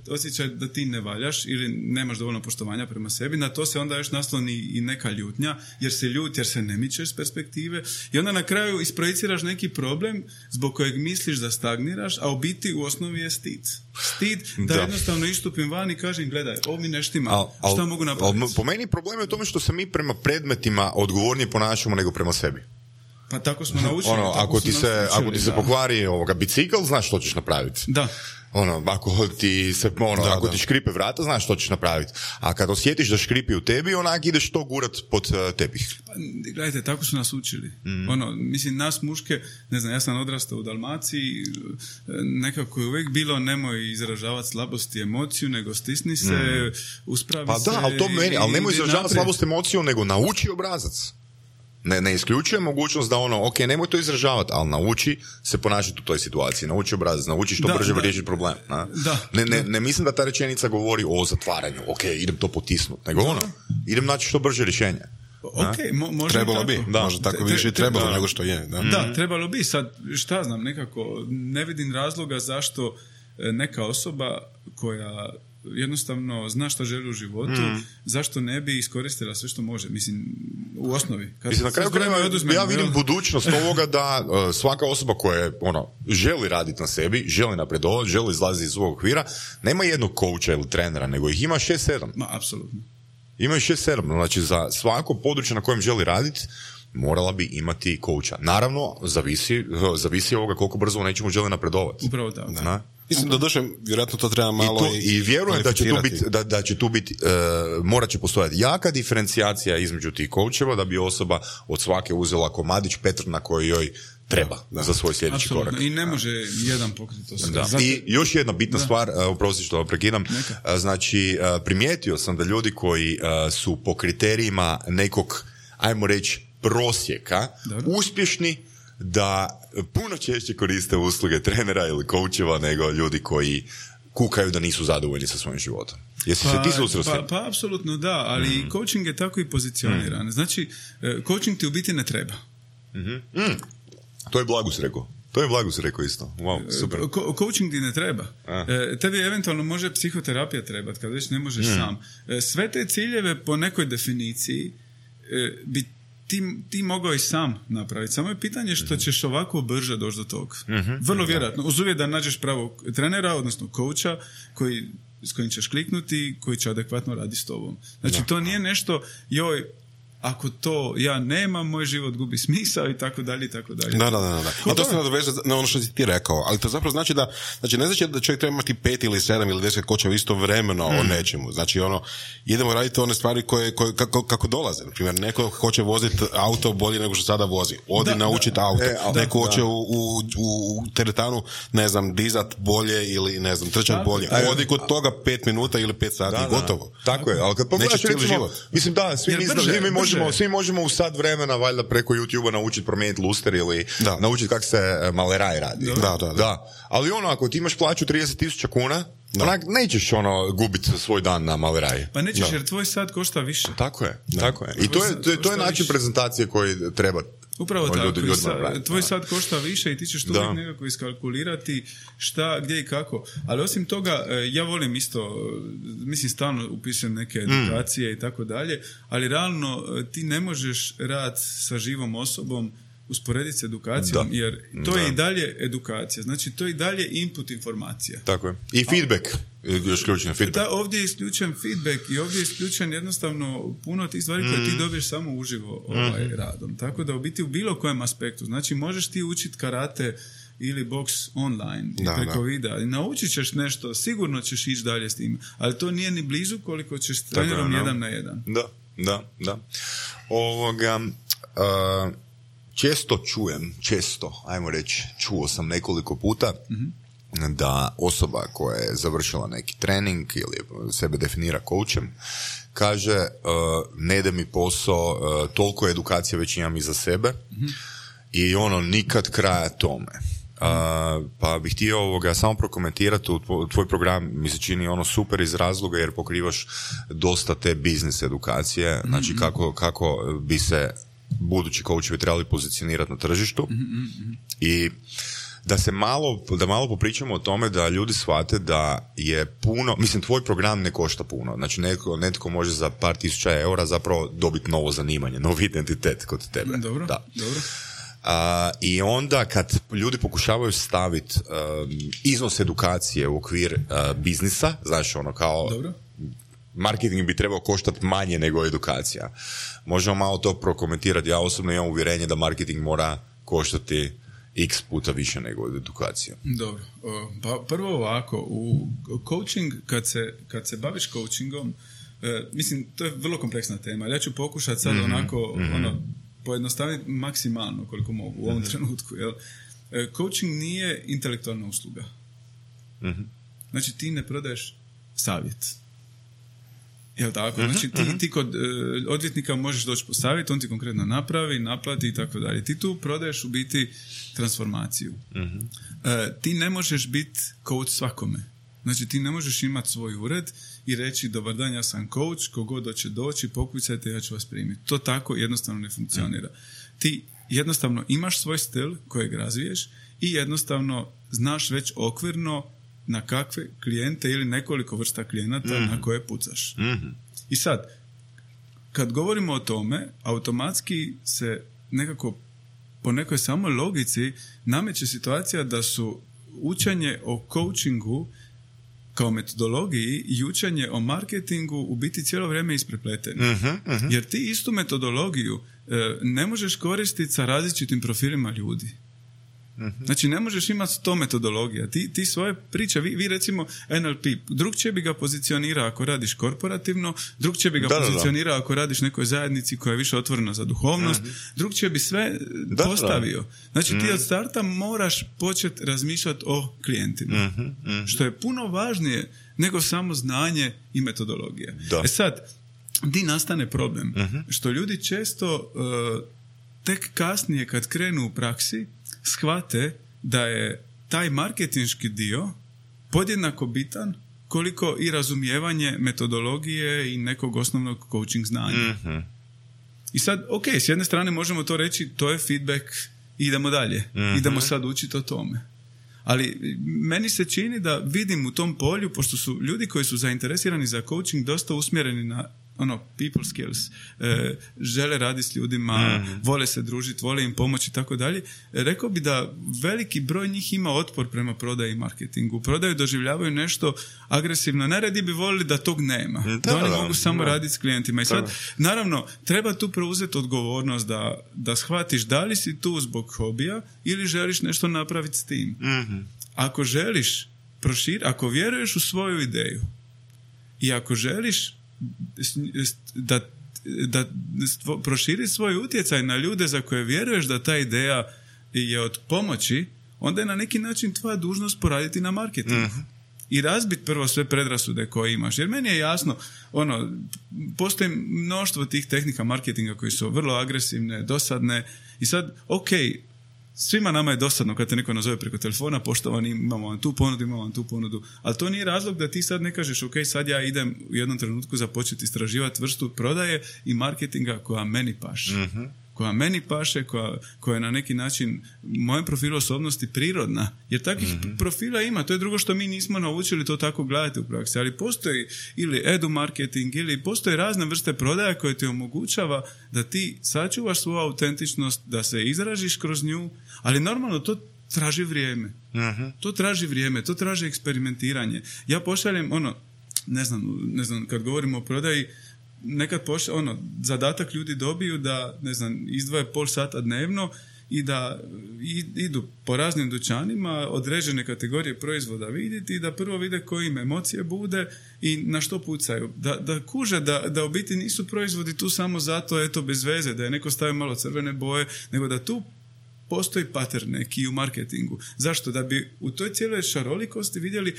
[SPEAKER 3] osjećaj da ti ne valjaš ili nemaš dovoljno poštovanja prema sebi, na to se onda još nasloni i neka ljutnja, jer se ne mičeš s perspektive i onda na kraju isprojiciraš neki problem zbog kojeg misliš da stagniraš, a u biti u osnovi je stid. Stid da jednostavno istupim van i kažem, gledaj, ovo mi ne štima, šta mogu napraviti?
[SPEAKER 2] Po meni problem je u tome što se mi prema predmetima odgovornije ponašamo nego prema sebi.
[SPEAKER 3] Pa tako smo naučili.
[SPEAKER 2] Ako ti se pokvari bicikl, znaš što ćeš napraviti.
[SPEAKER 3] Da.
[SPEAKER 2] Ako ti škripe vrata, znaš što ćeš napraviti. A kad osjetiš da škripi u tebi, onak ideš to gurat pod tepih.
[SPEAKER 3] Pa, gledajte, tako su nas učili. Mislim, nas muške, ne znam, ja sam odrastao u Dalmaciji, nekako je uvijek bilo nemoj izražavati slabost i emociju, nego stisni se, uspravi se.
[SPEAKER 2] Pa da, ali nemoj izražavati slabost i emociju, nego nauči obrazac. Ne isključuje mogućnost da ok, nemoj to izražavati, ali nauči se ponašati u toj situaciji, nauči obrazac, nauči što brže riješiti problem. Ne mislim da ta rečenica govori o zatvaranju, ok, idem to potisnuti, nego idem naći što brže rješenje.
[SPEAKER 4] Trebalo bi, možda tako više trebalo nego što je.
[SPEAKER 3] Da, trebalo bi, sad šta znam, nekako ne vidim razloga zašto neka osoba koja jednostavno zna što želi u životu, zašto ne bi iskoristila sve što može, mislim, u osnovi.
[SPEAKER 2] Mislim, na kraju krajeva ja vidim budućnost ovoga da svaka osoba koja želi raditi na sebi, želi napredovati, želi izlaziti iz svog okvira, nema jednog coacha ili trenera, nego ih ima 6-7.
[SPEAKER 3] Ma, apsolutno.
[SPEAKER 2] Ima ih 6-7, znači za svako područje na kojem želi raditi, morala bi imati coacha. Naravno, zavisi ovoga koliko brzo u nečemu želi napredovati.
[SPEAKER 3] Upravo tako.
[SPEAKER 4] Mislim da došle, vjerojatno to treba malo
[SPEAKER 2] i vjerujem da će tu biti morat će postojati jaka diferencijacija između tih coacheva da bi osoba od svake uzela komadić Petr na koji joj treba za svoj sljedeći korak.
[SPEAKER 3] I ne može jedan pokriti to sve.
[SPEAKER 2] I još jedna bitna stvar, oprosti što prekidam, znači primijetio sam da ljudi koji su po kriterijima nekog, ajmo reći, prosjeka, uspješni, da puno češće koriste usluge trenera ili coacheva nego ljudi koji kukaju da nisu zadovoljni sa svojim životom. Jesi se ti susreo?
[SPEAKER 3] Pa apsolutno da, ali coaching je tako i pozicioniran. Znači, coaching ti u biti ne treba.
[SPEAKER 2] To je Blagus rekao isto. Wow, super.
[SPEAKER 3] Coaching ti ne treba. Tebi eventualno može psihoterapija trebati, kad već ne možeš sam. Sve te ciljeve po nekoj definiciji bi ti mogao i sam napraviti. Samo je pitanje što ćeš ovako brže doći do toga. Vrlo vjerojatno. Uz uvjet da nađeš pravog trenera, odnosno coacha, s kojim ćeš kliknuti, koji će adekvatno raditi s tobom. Znači, to nije nešto, ako to ja nemam, moj život gubi smisao i tako dalje i tako dalje.
[SPEAKER 4] Da. A to se nadoveže na ono što si ti rekao, ali to zapravo znači da, ne znači da čovjek treba imati 5 ili 7 ili 10 kočeva istovremeno o nečemu. Znači, idemo raditi one stvari kako dolaze. Naprimjer, neko hoće voziti auto bolje nego što sada vozi. Naučiti auto. Neko hoće u teretanu, ne znam, dizat bolje ili, ne znam, trčat bolje. Odi kod toga 5 minuta ili 5 sati, gotovo.
[SPEAKER 2] Tako je, ali kad pogledaš, recimo, mislim da, svi mi svi možemo u sat vremena valjda preko YouTube-a naučiti promijeniti luster ili naučiti kako se maleraj radi. Da. Ali ako ti imaš plaću 30,000 kuna, nećeš gubiti svoj dan na maleraj.
[SPEAKER 3] Pa nećeš jer tvoj sat košta više.
[SPEAKER 2] Tako je. I to je način prezentacije koji treba.
[SPEAKER 3] Upravo tako, tvoj sad košta više i ti ćeš to uvijek nekako iskalkulirati šta, gdje i kako. Ali osim toga, ja volim isto, mislim stalno upisujem neke edukacije i tako dalje, ali realno ti ne možeš rad sa živom osobom usporediti s edukacijom, jer to je i dalje edukacija. Znači, to je i dalje input informacija.
[SPEAKER 2] Tako je. I feedback.
[SPEAKER 3] Da, ovdje je isključen feedback i ovdje je isključen jednostavno puno tih stvari koje ti dobiješ samo uživo radom. Tako da u biti u bilo kojem aspektu. Znači, možeš ti učiti karate ili boks online preko videa. I naučit ćeš nešto, sigurno ćeš ići dalje s tim. Ali to nije ni blizu koliko ćeš s trenerom 1 na 1.
[SPEAKER 2] Da. Čuo sam nekoliko puta da osoba koja je završila neki trening ili sebe definira coachem kaže ne ide mi posao, toliko edukacije već imam iza sebe i nikad kraja tome. Pa bih htio samo prokomentirati tvoj program, mi se čini super iz razloga jer pokrivaš dosta te biznis edukacije, znači kako bi se budući coachevi trebali pozicionirati na tržištu i da malo popričamo o tome da ljudi shvate da je puno, mislim tvoj program ne košta puno, znači netko može za par tisuća eura zapravo dobiti novo zanimanje, novi identitet kod tebe.
[SPEAKER 3] Dobro.
[SPEAKER 2] I onda kad ljudi pokušavaju staviti iznos edukacije u okvir biznisa, znaš kao dobro. Marketing bi trebao koštati manje nego edukacija. Možemo malo to prokomentirati. Ja osobno imam uvjerenje da marketing mora koštati x puta više nego edukacija.
[SPEAKER 3] Dobro. Pa prvo ovako, u coaching, kad se baviš coachingom, mislim, to je vrlo kompleksna tema. Ja ću pokušati sad pojednostaviti maksimalno koliko mogu u ovom trenutku. Jel? Coaching nije intelektualna usluga. Znači, ti ne prodaješ savjet. Jel tako? Znači ti kod odvjetnika možeš doći po savjet, on ti konkretno napravi, naplati i tako dalje. Ti tu prodaješ u biti transformaciju. Ti ne možeš biti coach svakome. Znači ti ne možeš imati svoj ured i reći dobar dan, ja sam coach, kogod hoće doći, pokucajte, ja ću vas primiti. To tako jednostavno ne funkcionira. Ti jednostavno imaš svoj stil kojeg razviješ i jednostavno znaš već okvirno na kakve klijente ili nekoliko vrsta klijenata na koje pucaš. I sad, kad govorimo o tome, automatski se nekako po nekoj samo logici nameće situacija da su učenje o coachingu kao metodologiji i učenje o marketingu u biti cijelo vrijeme isprepleteni. Jer ti istu metodologiju ne možeš koristiti sa različitim profilima ljudi. Znači ne možeš imati 100 metodologija. Ti svoje priče, vi recimo NLP, drugčije bi ga pozicionirao ako radiš korporativno, drugčije bi ga pozicionirao ako radiš nekoj zajednici koja je više otvorena za duhovnost, drugčije bi sve postavio. Znači ti od starta moraš početi razmišljati o klijentima. Što je puno važnije nego samo znanje i metodologija. Sad, di nastane problem? Što ljudi često tek kasnije kad krenu u praksi shvate da je taj marketinški dio podjednako bitan koliko i razumijevanje metodologije i nekog osnovnog coaching znanja. I sad, ok, s jedne strane možemo to reći, to je feedback, idemo dalje, idemo sad učiti o tome. Ali meni se čini da vidim u tom polju, pošto su ljudi koji su zainteresirani za coaching dosta usmjereni na people skills, žele raditi s ljudima, vole se družiti, vole im pomoći i tako dalje. Rekao bi da veliki broj njih ima otpor prema prodaji i marketingu. Prodaju doživljavaju nešto agresivno. Najradije bi volili da tog nema. Da oni mogu samo raditi s klijentima. I sad, naravno, treba tu preuzeti odgovornost da shvatiš da li si tu zbog hobija ili želiš nešto napraviti s tim. Ako želiš ako vjeruješ u svoju ideju i ako želiš da proširi svoj utjecaj na ljude za koje vjeruješ da ta ideja je od pomoći, onda je na neki način tvoja dužnost poraditi na marketingu. i razbiti prvo sve predrasude koje imaš. Jer meni je jasno, postoji mnoštvo tih tehnika marketinga koji su vrlo agresivne, dosadne i sad, svima nama je dosadno kad te neko nazove preko telefona, poštovani, imamo vam tu ponudu, ali to nije razlog da ti sad ne kažeš, sad ja idem u jednom trenutku započeti istraživati vrstu prodaje i marketinga koja meni paše. Mm-hmm. Koja meni paše, koja je na neki način mojem profilu osobnosti prirodna. Jer takvih profila ima, to je drugo što mi nismo naučili to tako gledati u praksi. Ali postoji ili edu marketing, ili postoje razne vrste prodaja koje ti omogućava da ti sačuvaš svoju autentičnost, da se izražiš kroz nju, ali normalno to traži vrijeme. To traži vrijeme, to traži eksperimentiranje. Ja pošaljem, ne znam, kad govorimo o prodaji, nekad zadatak ljudi dobiju da, izdvoje pol sata dnevno i da idu po raznim dućanima, određene kategorije proizvoda vidjeti i da prvo vide koje im emocije bude i na što pucaju. Da kuže da u biti nisu proizvodi tu samo zato, bez veze, da je neko stavio malo crvene boje, nego da tu postoji pattern neki u marketingu. Zašto? Da bi u toj cijeloj šarolikosti vidjeli,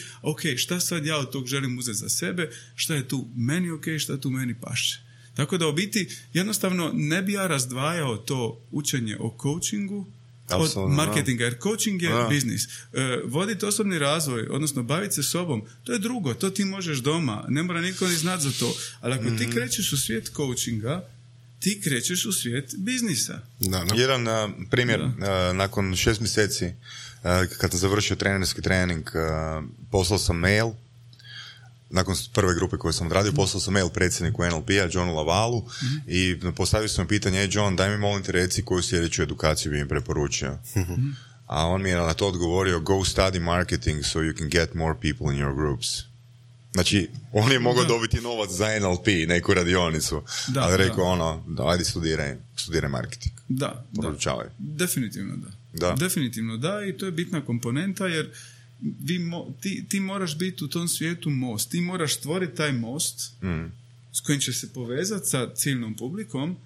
[SPEAKER 3] šta sad ja od tog želim uzeti za sebe, šta je tu meni šta tu meni paše. Tako da u biti jednostavno ne bi ja razdvajao to učenje o coachingu od marketinga, jer coaching je biznis. Voditi osobni razvoj, odnosno baviti se sobom, to je drugo, to ti možeš doma, ne mora niko ni znati za to. Ali ako ti krećeš u svijet coachinga, ti krećeš u svijet biznisa.
[SPEAKER 2] Jedan primjer, nakon 6 mjeseci, kad sam završio trenerski trening, poslao sam mail, nakon prve grupe koje sam odradio, poslao sam mail predsjedniku NLP-a, Johnu Lavalu, i postavio sam pitanje, John, daj mi molim te reci koju sljedeću edukaciju bi mi preporučio. A on mi je na to odgovorio, go study marketing so you can get more people in your groups. Znači, on je mogao dobiti novac za NLP, neku radionicu, ali rekao ajde studiraj marketing. Poručavaj.
[SPEAKER 3] Definitivno da. Definitivno da, i to je bitna komponenta, jer ti moraš biti u tom svijetu most. Ti moraš stvoriti taj most s kojim će se povezati sa ciljnom publikom,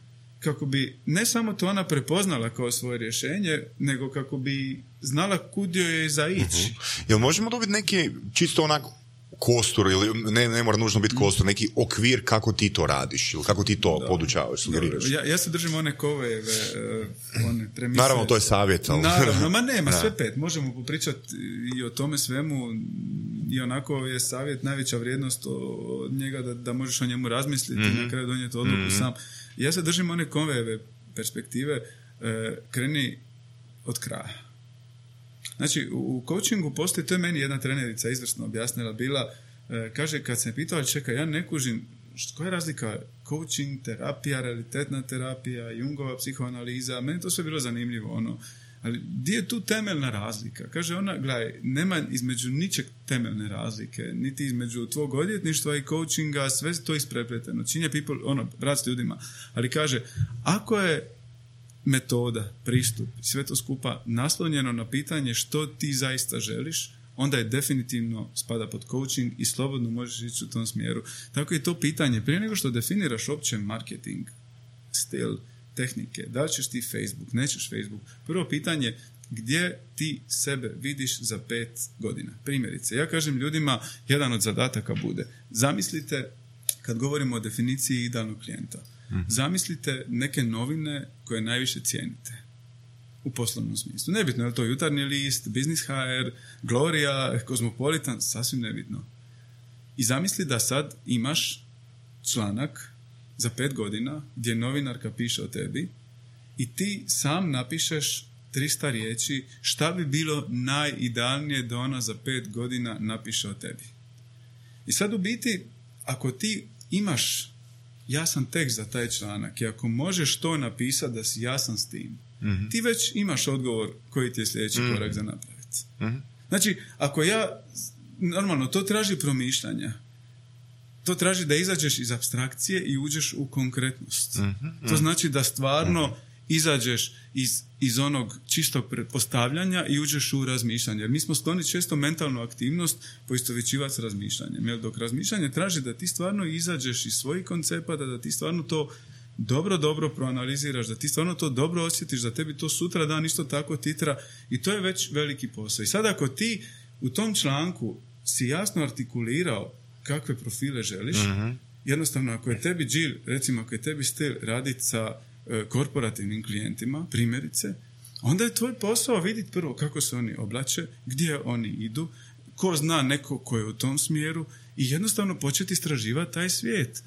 [SPEAKER 3] kako bi ne samo to ona prepoznala kao svoje rješenje, nego kako bi znala kud joj je za ići.
[SPEAKER 2] Jel možemo dobiti neki čisto onako kostur, ili ne mora nužno biti kostur, neki okvir kako ti to radiš ili kako ti to podučavaš, sugeriraš?
[SPEAKER 3] Ja se držim one koveve, one premise.
[SPEAKER 2] Naravno, to je savjet. Ali...
[SPEAKER 3] Naravno, sve 5. Možemo popričati i o tome svemu, i onako je savjet najveća vrijednost od njega da možeš o njemu razmisliti i na kraju donijeti odluku sam. Ja se držim one koveve perspektive, kreni od kraja. Znači, u coachingu postoji, to je meni jedna trenerica izvrsno objasnila, bila, kaže, kad se me pitala, čekaj, ja ne kužim, koja je razlika coaching, terapija, realitetna terapija, Jungova psihoanaliza, meni to sve bilo zanimljivo, ali gdje je tu temeljna razlika? Kaže ona, gledaj, nema između ničeg temeljne razlike, niti između tvog odvjetništva i coachinga, sve to isprepleteno, činje people, rad s ljudima, ali kaže, ako je metoda, pristup, sve to skupa naslonjeno na pitanje što ti zaista želiš, onda je definitivno spada pod coaching i slobodno možeš ići u tom smjeru. Tako je to pitanje, prije nego što definiraš opće marketing, stil, tehnike, da li ćeš ti Facebook, nećeš Facebook, prvo pitanje, gdje ti sebe vidiš za 5 godina? Primjerice, ja kažem ljudima, jedan od zadataka bude, zamislite, kad govorimo o definiciji idealnog klijenta, zamislite neke novine koje najviše cijenite u poslovnom smislu. Nebitno je li to Jutarnji list, Business HR, Gloria, Cosmopolitan, sasvim nebitno. I zamisli da sad imaš članak za 5 godina gdje novinarka piše o tebi i ti sam napišeš 300 riječi šta bi bilo najidealnije da ona za 5 godina napiše o tebi. I sad u biti, ako ti imaš jasan tekst za taj članak i ako možeš to napisati da si jasan s tim, ti već imaš odgovor koji ti je sljedeći korak za napraviti. Znači, ako normalno, to traži promišljanja. To traži da izađeš iz apstrakcije i uđeš u konkretnost. To znači da stvarno izađeš iz onog čistog pretpostavljanja i uđeš u razmišljanje. Jer mi smo skloni često mentalnu aktivnost poistovjećivati s razmišljanjem. Jer dok razmišljanje traži da ti stvarno izađeš iz svojih koncepata, da ti stvarno to dobro proanaliziraš, da ti stvarno to dobro osjetiš, da tebi to sutra dan isto tako titra, i to je već veliki posao. I sad ako ti u tom članku si jasno artikulirao kakve profile želiš, jednostavno ako je tebi recimo ako je tebi stil raditi sa korporativnim klijentima, primjerice, onda je tvoj posao vidjeti prvo kako se oni oblače, gdje oni idu, ko zna neko ko je u tom smjeru i jednostavno početi istraživati taj svijet.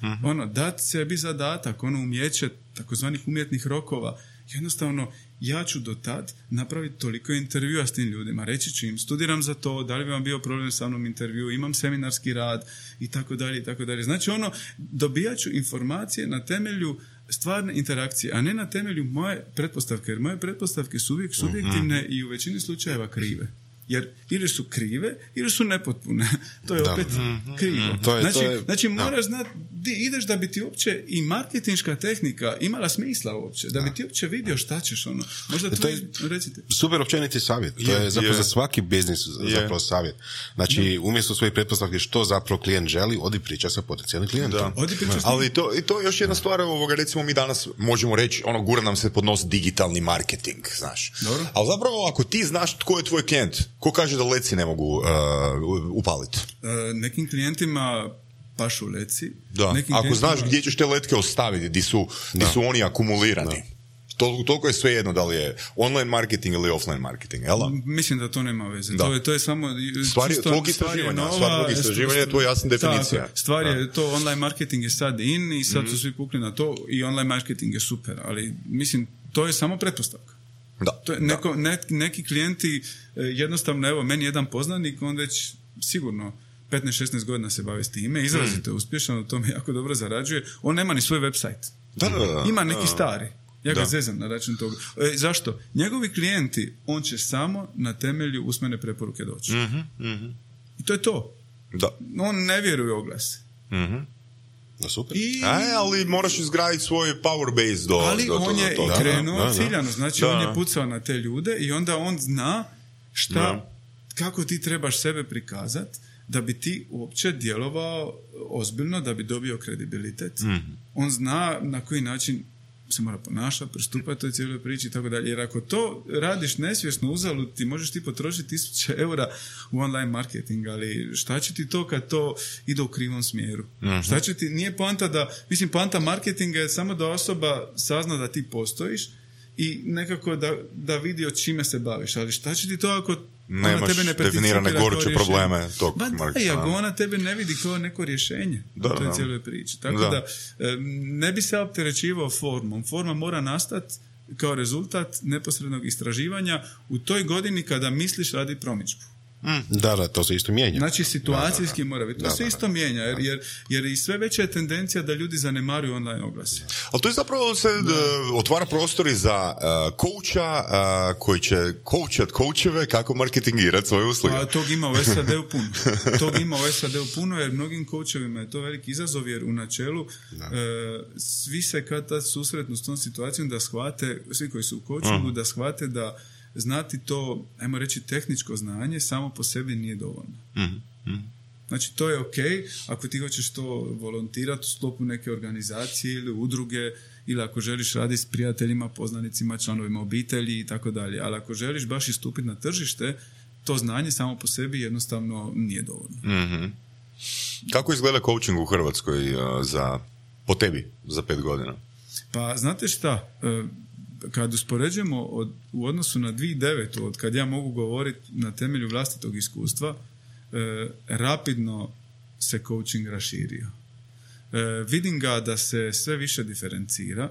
[SPEAKER 3] Dati sebi zadatak, umijeće takozvanih umjetnih rokova. Jednostavno, ja ću do tad napraviti toliko intervjua s tim ljudima. Reći ću im, studiram za to, da li bi vam bio problem sa mnom intervju, imam seminarski rad i tako dalje i tako dalje. Znači, dobijat ću informacije na temelju stvarne interakcije, a ne na temelju moje pretpostavke, jer moje pretpostavke su uvijek subjektivne i u većini slučajeva krive. Jer ili su krive, ili su nepotpune. To je opet krivo. Znači, moraš znati di ideš da bi ti uopće i marketinška tehnika imala smisla uopće. Da bi ti uopće vidio šta ćeš Možda recite.
[SPEAKER 4] Super općeniti savjet. To je zapravo za svaki biznis zapravo savjet. Znači, umjesto svojih pretpostavki što zapravo klijent želi, odi priča sa potencijalnim klijentom.
[SPEAKER 2] Ali to je još jedna stvar, recimo mi danas možemo reći, gura nam se pod nos digitalni marketing, znaš. Dobro. Ali zapravo ako ti znaš tko je tvoj klijent, ko kaže da leci ne mogu upaliti?
[SPEAKER 3] Nekim klijentima pašu leci.
[SPEAKER 2] Da. Ako znaš gdje ćeš te letke ostaviti, di su oni akumulirani. Toliko je svejedno da li je online marketing ili offline marketing, jel da?
[SPEAKER 3] Mislim da to nema veze. To je samo
[SPEAKER 2] tvog istraživanja je to jasna definicija.
[SPEAKER 3] Stvar je to, online marketing je sad in i sad su svi pukli na to i online marketing je super, ali mislim, to je samo pretpostavka. To je neki klijenti jednostavno, evo, meni jedan poznanik, on već sigurno 15-16 godina se bavi s time, izrazito je uspješan, u tome jako dobro zarađuje, on nema ni svoj website. Ima neki stari. Ja ga zezam na račun toga. Zašto? Njegovi klijenti, on će samo na temelju usmene preporuke doći. I to je to. On ne vjeruje u oglase.
[SPEAKER 4] Super.
[SPEAKER 2] Ali moraš izgraditi svoj power base do
[SPEAKER 3] ali
[SPEAKER 2] do
[SPEAKER 3] on je krenuo ciljano, znači on je pucao na te ljude i onda on zna kako ti trebaš sebe prikazati da bi ti uopće djelovao ozbiljno, da bi dobio kredibilitet. On zna na koji način se mora ponašati, pristupati toj cijeloj priči i tako dalje. Jer ako to radiš nesvjesno, uzalud, ti možeš ti potrošiti 1000 eura u online marketing, ali šta će ti to kad to ide u krivom smjeru? Šta će ti, nije poanta da, mislim, poanta marketinga je samo da osoba sazna da ti postojiš i nekako da vidi od čime se baviš, ali šta će ti to ako
[SPEAKER 2] nemaš
[SPEAKER 3] tebe ne
[SPEAKER 2] definirane goruće probleme tog
[SPEAKER 3] marketinga. Ako ona tebe ne vidi kao neko rješenje u toj cijeloj priči. Tako da ne bi se opterećivao formom. Forma mora nastati kao rezultat neposrednog istraživanja u toj godini kada misliš radi promidžbu.
[SPEAKER 4] Da, to se isto mijenja.
[SPEAKER 3] Znači, situacijski mora biti. To se isto mijenja, jer i sve veća je tendencija da ljudi zanemaruju online oglase.
[SPEAKER 2] Ali to je zapravo se otvara prostori za coacha koji će coacheve kako marketingirati svoje usluge.
[SPEAKER 3] Tog ima u SAD-u puno. Jer mnogim coachovima je to veliki izazov, jer u načelu svi se kad tad susretnu s tom situacijom da shvate, svi koji su u coachingu, da shvate da znati to, ajmo reći, tehničko znanje samo po sebi nije dovoljno. Znači, to je ok ako ti hoćeš to volontirati u sklopu neke organizacije ili udruge, ili ako želiš raditi s prijateljima, poznanicima, članovima obitelji i tako dalje. Ali ako želiš baš istupiti na tržište, to znanje samo po sebi jednostavno nije dovoljno.
[SPEAKER 2] Kako izgleda coaching u Hrvatskoj po tebi za 5 godina?
[SPEAKER 3] Pa, znate šta, kad uspoređujemo u odnosu na 2009. od kad ja mogu govoriti na temelju vlastitog iskustva, rapidno se coaching raširio. Vidim ga da se sve više diferencira,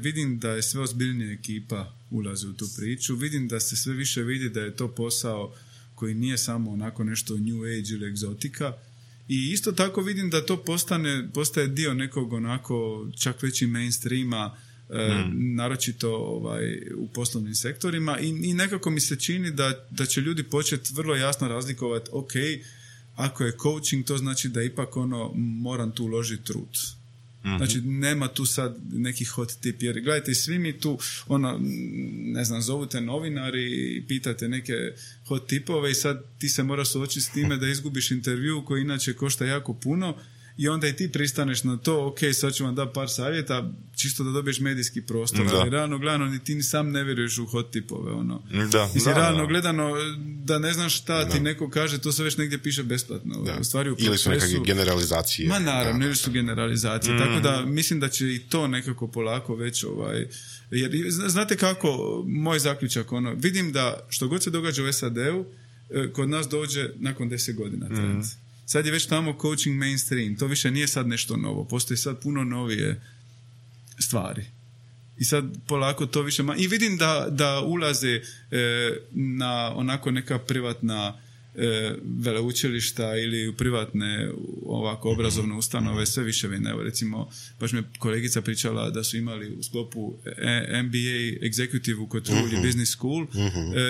[SPEAKER 3] vidim da je sve ozbiljnija ekipa ulazi u tu priču, vidim da se sve više vidi da je to posao koji nije samo onako nešto new age ili egzotika, i isto tako vidim da to postaje dio nekog onako čak veći mainstreama, naročito u poslovnim sektorima, i nekako mi se čini da će ljudi početi vrlo jasno razlikovati, ok, ako je coaching, to znači da ipak moram tu uložiti trud. Znači, nema tu sad neki hot tip, jer gledajte, svi mi tu ne znam, zovu te novinari i pitate neke hot tipove i sad ti se moraš suočiti s time da izgubiš intervju koji inače košta jako puno i onda i ti pristaneš na to, ok, sad ću vam da par savjeta, čisto da dobiješ medijski prostor, ali realno gledano ni ti ni sam ne vjeruješ u hot tipove, ono. Realno gledano, da ne znaš šta ti neko kaže, to se već negdje piše besplatno. U stvari u
[SPEAKER 4] ili su nekakve generalizacije.
[SPEAKER 3] Ma naravno, ili su generalizacije, tako da mislim da će i to nekako polako već jer znate kako, moj zaključak, ono, vidim da što god se događa u SAD-u, kod nas dođe nakon 10 godina trend. Sad je već tamo coaching mainstream, to više nije sad nešto novo, postoji sad puno novije stvari. I sad polako to više... I vidim da ulaze na onako neka privatna veleučilišta ili u privatne ovako obrazovne ustanove sve više vine. Evo recimo, baš me kolegica pričala da su imali u sklopu MBA executive kod Truly Business School,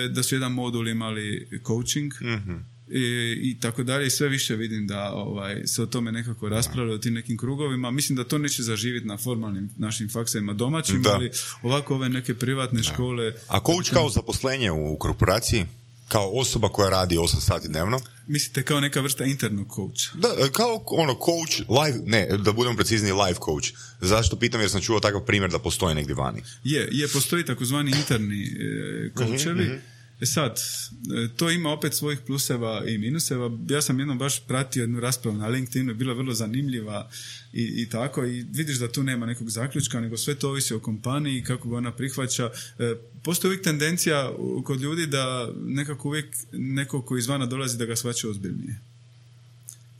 [SPEAKER 3] da su jedan modul imali coaching, i tako dalje, i sve više vidim da se o tome nekako raspravlja o tim nekim krugovima. Mislim da to neće zaživjeti na formalnim našim faksevima domaćim, ali ovako ove neke privatne škole...
[SPEAKER 2] A coach kao zaposlenje u korporaciji? Kao osoba koja radi 8 sati dnevno?
[SPEAKER 3] Mislite kao neka vrsta internog coacha?
[SPEAKER 2] Da, kao coach, da budemo precizni, live coach. Zašto pitam? Jer sam čuo takav primjer da postoji negdje vani.
[SPEAKER 3] Postoji takozvani interni coachevi. Sad, to ima opet svojih pluseva i minuseva. Ja sam jednom baš pratio jednu raspravu na LinkedInu, bila vrlo zanimljiva i tako, i vidiš da tu nema nekog zaključka, nego sve to ovisi o kompaniji, kako ga ona prihvaća. Postoji uvijek tendencija kod ljudi da nekako uvijek neko ko izvana dolazi da ga shvaća ozbiljnije.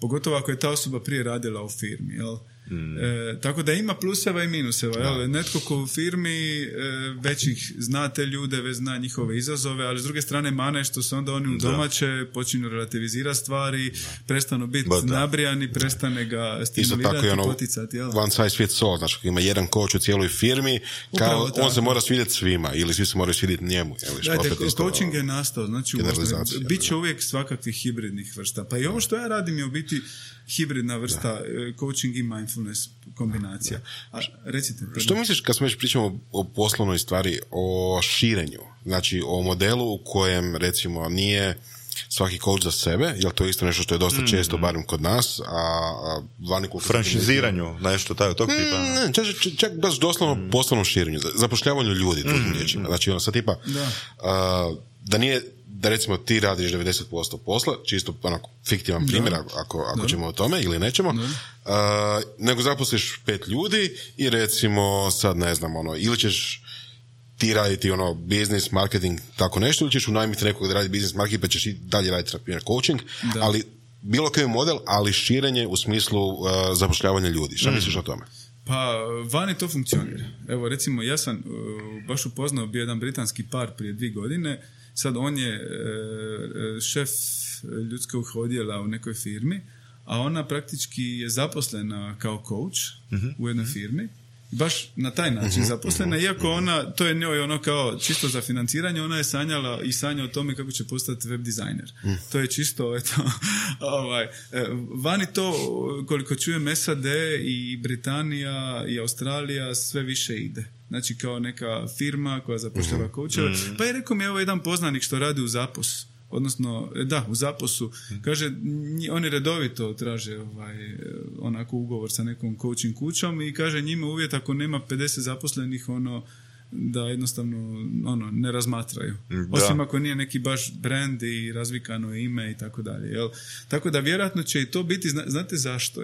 [SPEAKER 3] Pogotovo ako je ta osoba prije radila u firmi, jel? Tako da ima pluseva i minuseva. Jel? Netko ko u firmi već ih zna te ljude, već zna njihove izazove, ali s druge strane mane što se onda oni u domaće počinju relativizirati stvari, prestanu biti nabrijani, prestane ga stimulirati i poticati. Jel?
[SPEAKER 4] One size fits all, znači ima jedan coach u cijeloj firmi, kao on se mora svidjeti svima ili svi se moraju svidjeti njemu.
[SPEAKER 3] Coaching je nastao, znači bit će uvijek svakakvih hibridnih vrsta. Pa i ovo što ja radim je u biti hibridna vrsta coaching i mindfulness kombinacija. A, recite.
[SPEAKER 4] Što misliš kad smo već pričamo o poslovnoj stvari, o širenju, znači o modelu u kojem recimo nije svaki coach za sebe, jer to je isto nešto što je dosta često, barem kod nas, a vani
[SPEAKER 2] franšiziranju, nešto tog tipa.
[SPEAKER 4] Čak baš doslovno poslovnom širenju, zapošljavanju ljudi, drugim riječima. Znači ono sad tipa da nije da recimo ti radiš 90% posla, čisto onako fiktivan primjer, ako ćemo o tome ili nećemo, nego zaposliš 5 ljudi i recimo sad ne znam, ili ćeš ti raditi business, marketing, tako nešto, ili ćeš unajmiti nekog da radi business, marketing, pa ćeš i dalje raditi coaching, ali bilo koji model, ali širenje u smislu zapošljavanja ljudi. Šta misliš o tome?
[SPEAKER 3] Pa, vani to funkcionira. Evo, recimo, ja sam baš upoznao bio jedan britanski par prije 2 godine. Sad on je šef ljudskog odjela u nekoj firmi, a ona praktički je zaposlena kao coach u jednoj firmi. Baš na taj način zaposlena, iako ona, to je njoj kao čisto za financiranje, ona je sanjala i sanja o tome kako će postati web dizajner. To je čisto, vani to, koliko čujem, SAD i Britanija i Australija sve više ide. Znači kao neka firma koja zapošljava coacheve. Pa je rekao mi evo jedan poznanik što radi u Zaposu. Odnosno, u Zaposu, kaže, oni redovito traže onako ugovor sa nekom coaching kućom i kaže njima uvjet ako nema 50 zaposlenih, da jednostavno ne razmatraju. Osim ako nije neki baš brand i razvikano ime i tako dalje. Jel? Tako da vjerojatno će i to biti, znate zašto?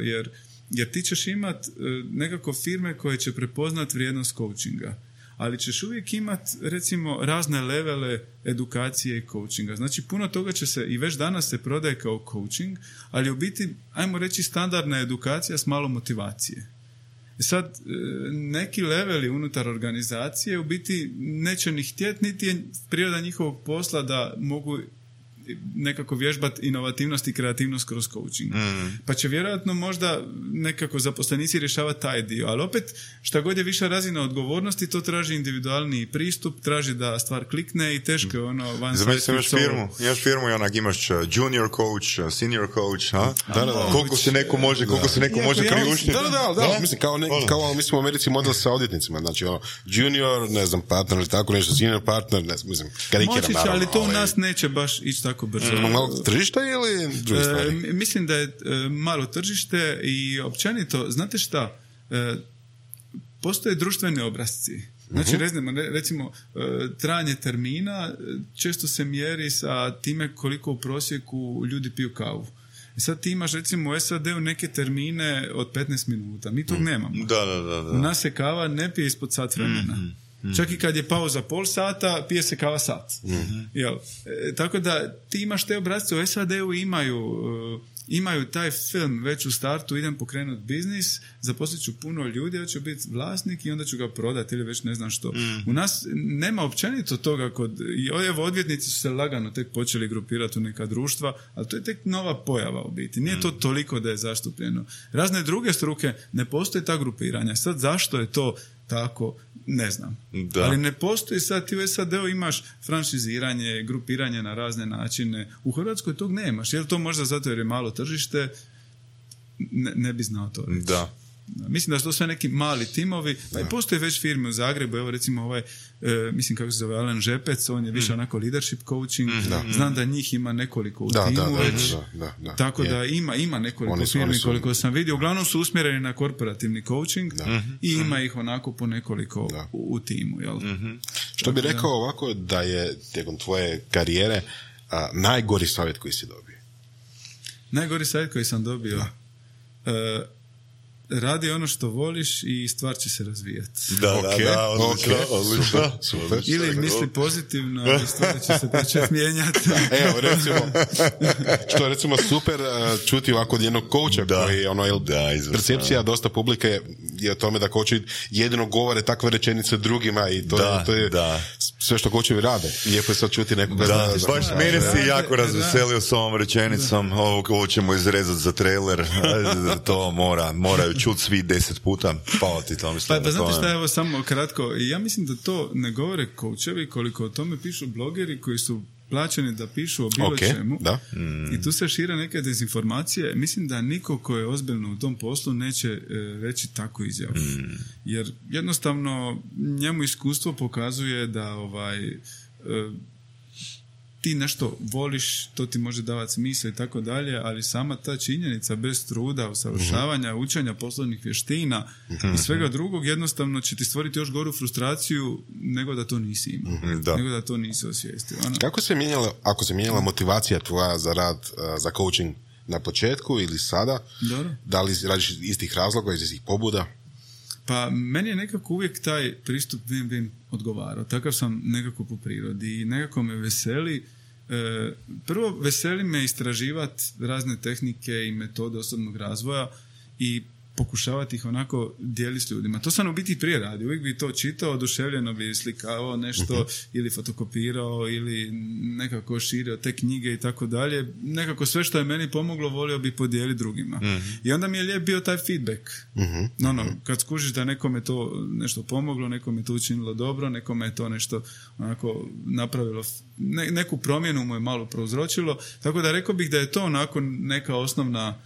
[SPEAKER 3] Jer ti ćeš imati nekako firme koje će prepoznat vrijednost coachinga. Ali ćeš uvijek imati, recimo, razne levele edukacije i coachinga. Znači, puno toga će se, i već danas se prodaje kao coaching, ali u biti, ajmo reći, standardna edukacija s malo motivacije. Sad, neki leveli unutar organizacije u biti neće ni htjeti, niti je priroda njihovog posla da mogu nekako vježbati inovativnost i kreativnost kroz coaching. Pa će vjerojatno možda nekako zaposlenici rješavati taj dio, ali opet šta god je viša razina odgovornosti, to traži individualni pristup, traži da stvar klikne i teško je one
[SPEAKER 2] size fits all. Imaš firmu i onak imaš junior coach, senior coach, koliko se neko može, priuštiti.
[SPEAKER 4] Da, mislim, kao mislim u Americi model sa odvjetnicima, znači junior, ne znam, partner ili tako nešto, senior partner, ne znam, karikiram naravno.
[SPEAKER 3] Ali to u nas neće baš ići tako jako brzo.
[SPEAKER 4] Malo tržište ili druge stvari?
[SPEAKER 3] Mislim da je malo tržište i općenito, znate šta, postoje društveni obrasci. Znači, recimo, trajanje termina često se mjeri sa time koliko u prosjeku ljudi piju kavu. Sad ti imaš recimo u SAD-u neke termine od 15 minuta. Mi tog nemamo.
[SPEAKER 2] Da.
[SPEAKER 3] U nas se kava ne pije ispod sat vremena. Čak i kad je pauza pol sata, pije se kava sat. Tako da ti imaš te obrazce u SAD-u imaju taj film već u startu, idem pokrenuti biznis, zaposlit ću puno ljudi, ja ću biti vlasnik i onda ću ga prodati ili već ne znam što. U nas nema općenito toga i odvjetnici su se lagano tek počeli grupirati u neka društva, ali to je tek nova pojava u biti. Nije to toliko da je zastupljeno. Razne druge struke ne postoje ta grupiranja. Sad zašto je to tako, ne znam. Da. Ali ne postoji sad, ti u SAD-u imaš franšiziranje, grupiranje na razne načine. U Hrvatskoj tog nemaš. Je li to možda zato jer je malo tržište? Ne bi znao to reći.
[SPEAKER 2] Da.
[SPEAKER 3] Mislim da su to sve neki mali timovi, pa i postoje već firme u Zagrebu, evo recimo mislim kako se zove Alen Žepec, on je više onako leadership coaching, znam da njih ima nekoliko u timu već, tako da ima nekoliko firmi koliko sam vidio, uglavnom su usmjereni na korporativni coaching i ima ih onako po nekoliko u timu. Jel?
[SPEAKER 4] Što bi rekao ovako da je tijekom tvoje karijere najgori savjet koji si dobio?
[SPEAKER 3] Najgori savjet koji sam dobio? Radi ono što voliš i stvar će se razvijati.
[SPEAKER 2] Odlično.
[SPEAKER 4] Super.
[SPEAKER 3] Ili misli pozitivno, ali stvari će se početi mijenjati.
[SPEAKER 4] Evo, što je recimo super čuti ovako od jednog coacha koji percepcija dosta publike je o tome da coachi jedino govore takve rečenice drugima i to je sve što coachevi rade. Lijepo je sad čuti nekoga.
[SPEAKER 2] Baš mene si jako razveselio s ovom rečenicom. Ovo ćemo izrezati za trailer. To moraju čuti svi 10 puta. Pa
[SPEAKER 3] znate šta, evo samo kratko. Ja mislim da to ne govore coachevi koliko o tome pišu blogeri koji su plaćeni da pišu o bilo čemu. I tu se šire neke dezinformacije. Mislim da niko ko je ozbiljno u tom poslu neće reći takvu izjavu. Jer jednostavno njemu iskustvo pokazuje da ti nešto voliš, to ti može davati smisla i tako dalje, ali sama ta činjenica bez truda, usavršavanja, učenja poslovnih vještina i svega drugog jednostavno će ti stvoriti još goru frustraciju nego da to nisi imao. Nego da to nisi osvijestio.
[SPEAKER 4] Kako se mijenjala, ako se mijenjala motivacija tvoja za rad, za coaching na početku ili sada?
[SPEAKER 3] Dobro.
[SPEAKER 4] Da li radiš iz istih razloga, iz istih pobuda?
[SPEAKER 3] Pa meni je nekako uvijek taj pristup win-win odgovarao. Takav sam nekako po prirodi i nekako me veseli. Prvo, veseli me istraživati razne tehnike i metode osobnog razvoja i pokušavati ih onako dijeliti s ljudima. To sam u biti prije radio. Uvijek bi to čitao, oduševljeno bi slikavao nešto ili fotokopirao ili nekako širio te knjige i tako dalje. Nekako sve što je meni pomoglo volio bi podijeliti drugima. I onda mi je lijep bio taj feedback. Kad skužiš da nekome to nešto pomoglo, nekome to učinilo dobro, nekome je to nešto onako napravilo, neku promjenu mu je malo prouzročilo. Tako da rekao bih da je to onako neka osnovna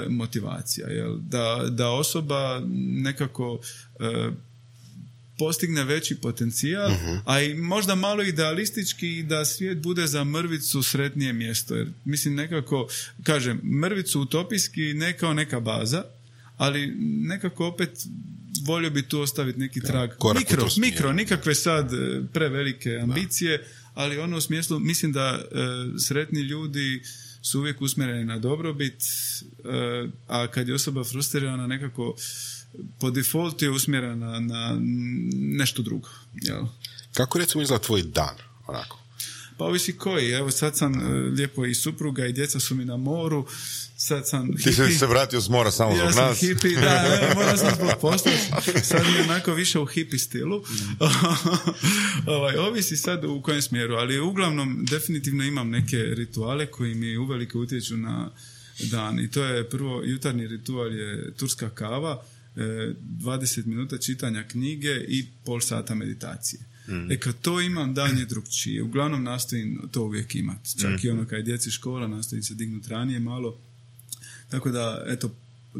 [SPEAKER 3] motivacija, jel? Da osoba nekako postigne veći potencijal, a i možda malo idealistički da svijet bude za mrvicu sretnije mjesto. Jer mislim nekako, kažem, mrvicu utopijski ne kao neka baza, ali nekako opet volio bi tu ostaviti neki trag. Mikro, nikakve sad prevelike ambicije, ali ono u smislu, mislim da sretni ljudi su uvijek usmjereni na dobrobit, a kad je osoba frustrirana nekako po defaultu je usmjerena na nešto drugo. Jel?
[SPEAKER 4] Kako recimo izgleda tvoj dan? Onako?
[SPEAKER 3] Pa ovisi koji. Evo sad sam lijepo i supruga i djeca su mi na moru. Sad sam hippie.
[SPEAKER 2] Ti si se vratio s mora samo zbog nas.
[SPEAKER 3] Ja sam hippie, moram sam zbog posla. Sad mi je onako više u hippie stilu. Ovisi sad u kojem smjeru, ali uglavnom definitivno imam neke rituale koji mi uvelike utječu na dan. I to je prvo, jutarnji ritual je turska kava, 20 minuta čitanja knjige i pol sata meditacije. Kad to imam, dan je drugčije. Uglavnom nastojim to uvijek imati. Čak i kad je djeci škola, nastojim se dignuti ranije malo. Tako da, eto,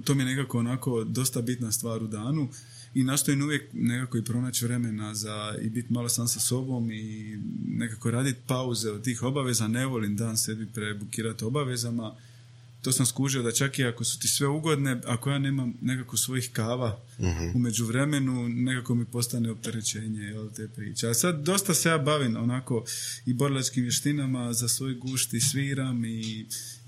[SPEAKER 3] to mi je nekako onako dosta bitna stvar u danu. i nastojim uvijek nekako i pronaći vremena i biti malo sam sa sobom i nekako raditi pauze od tih obaveza. Ne volim dan sebi prebukirati obavezama. To sam skužio da čak i ako su ti sve ugodne, ako ja nemam nekako svojih kava u međuvremenu, nekako mi postane opterećenje te priče. A sad dosta se ja bavim onako i borilačkim vještinama, za svoj gušt i sviram i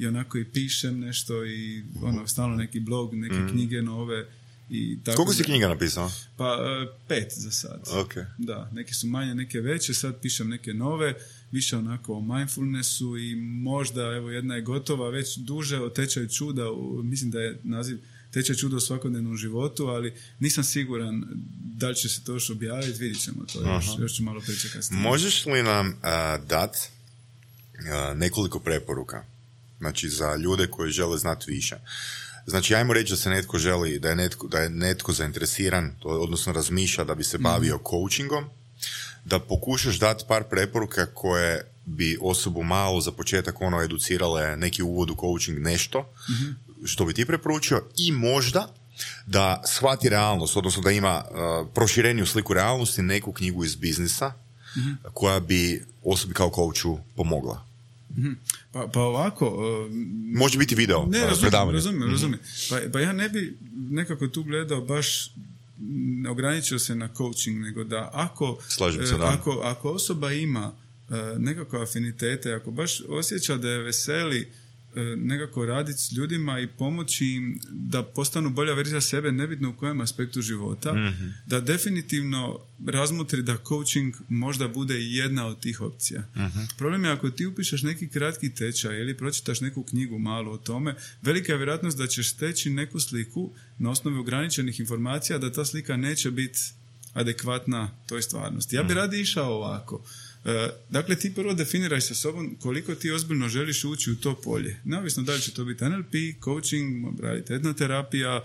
[SPEAKER 3] onako i pišem nešto i stalno neki blog, neke knjige nove. I tako.
[SPEAKER 2] Koliko si knjiga napisao?
[SPEAKER 3] Pa 5 za sad.
[SPEAKER 2] Okay.
[SPEAKER 3] Da, neke su manje, neke veće, sad pišem neke nove, više onako o mindfulnessu i možda, evo, jedna je gotova, već duže o tečaju čuda, mislim da je naziv Tečaj čuda u svakodnevnom životu, ali nisam siguran da li će se to još objaviti, vidit ćemo to, još ću malo pričekati.
[SPEAKER 2] Možeš li nam dati nekoliko preporuka, znači za ljude koji žele znati više? Znači, ajmo reći da se netko želi, da je netko zainteresiran, odnosno razmišlja da bi se bavio coachingom, da pokušaš dati par preporuka koje bi osobu malo za početak educirale, neki uvod u coaching, nešto što bi ti preporučio, i možda da shvati realnost, odnosno da ima prošireniju sliku realnosti, neku knjigu iz biznisa koja bi osobi kao coachu pomogla.
[SPEAKER 3] Pa ovako...
[SPEAKER 2] Može biti video, predavanje.
[SPEAKER 3] Razumijem. Pa ja ne bi nekako tu gledao baš, ograničio se na coaching, nego da ako osoba ima nekakve afinitete, ako baš osjeća da je veseli nekako raditi s ljudima i pomoći im da postanu bolja verzija sebe, nebitno u kojem aspektu života, da definitivno razmotri da coaching možda bude jedna od tih opcija. Problem je ako ti upišeš neki kratki tečaj ili pročitaš neku knjigu malo o tome, velika je vjerojatnost da ćeš steći neku sliku na osnovi ograničenih informacija, da ta slika neće biti adekvatna toj stvarnosti. Ja bi radije išao ovako. Dakle, ti prvo definiraj sa sobom koliko ti ozbiljno želiš ući u to polje. Neovisno da li će to biti NLP, coaching, raditi etnoterapija,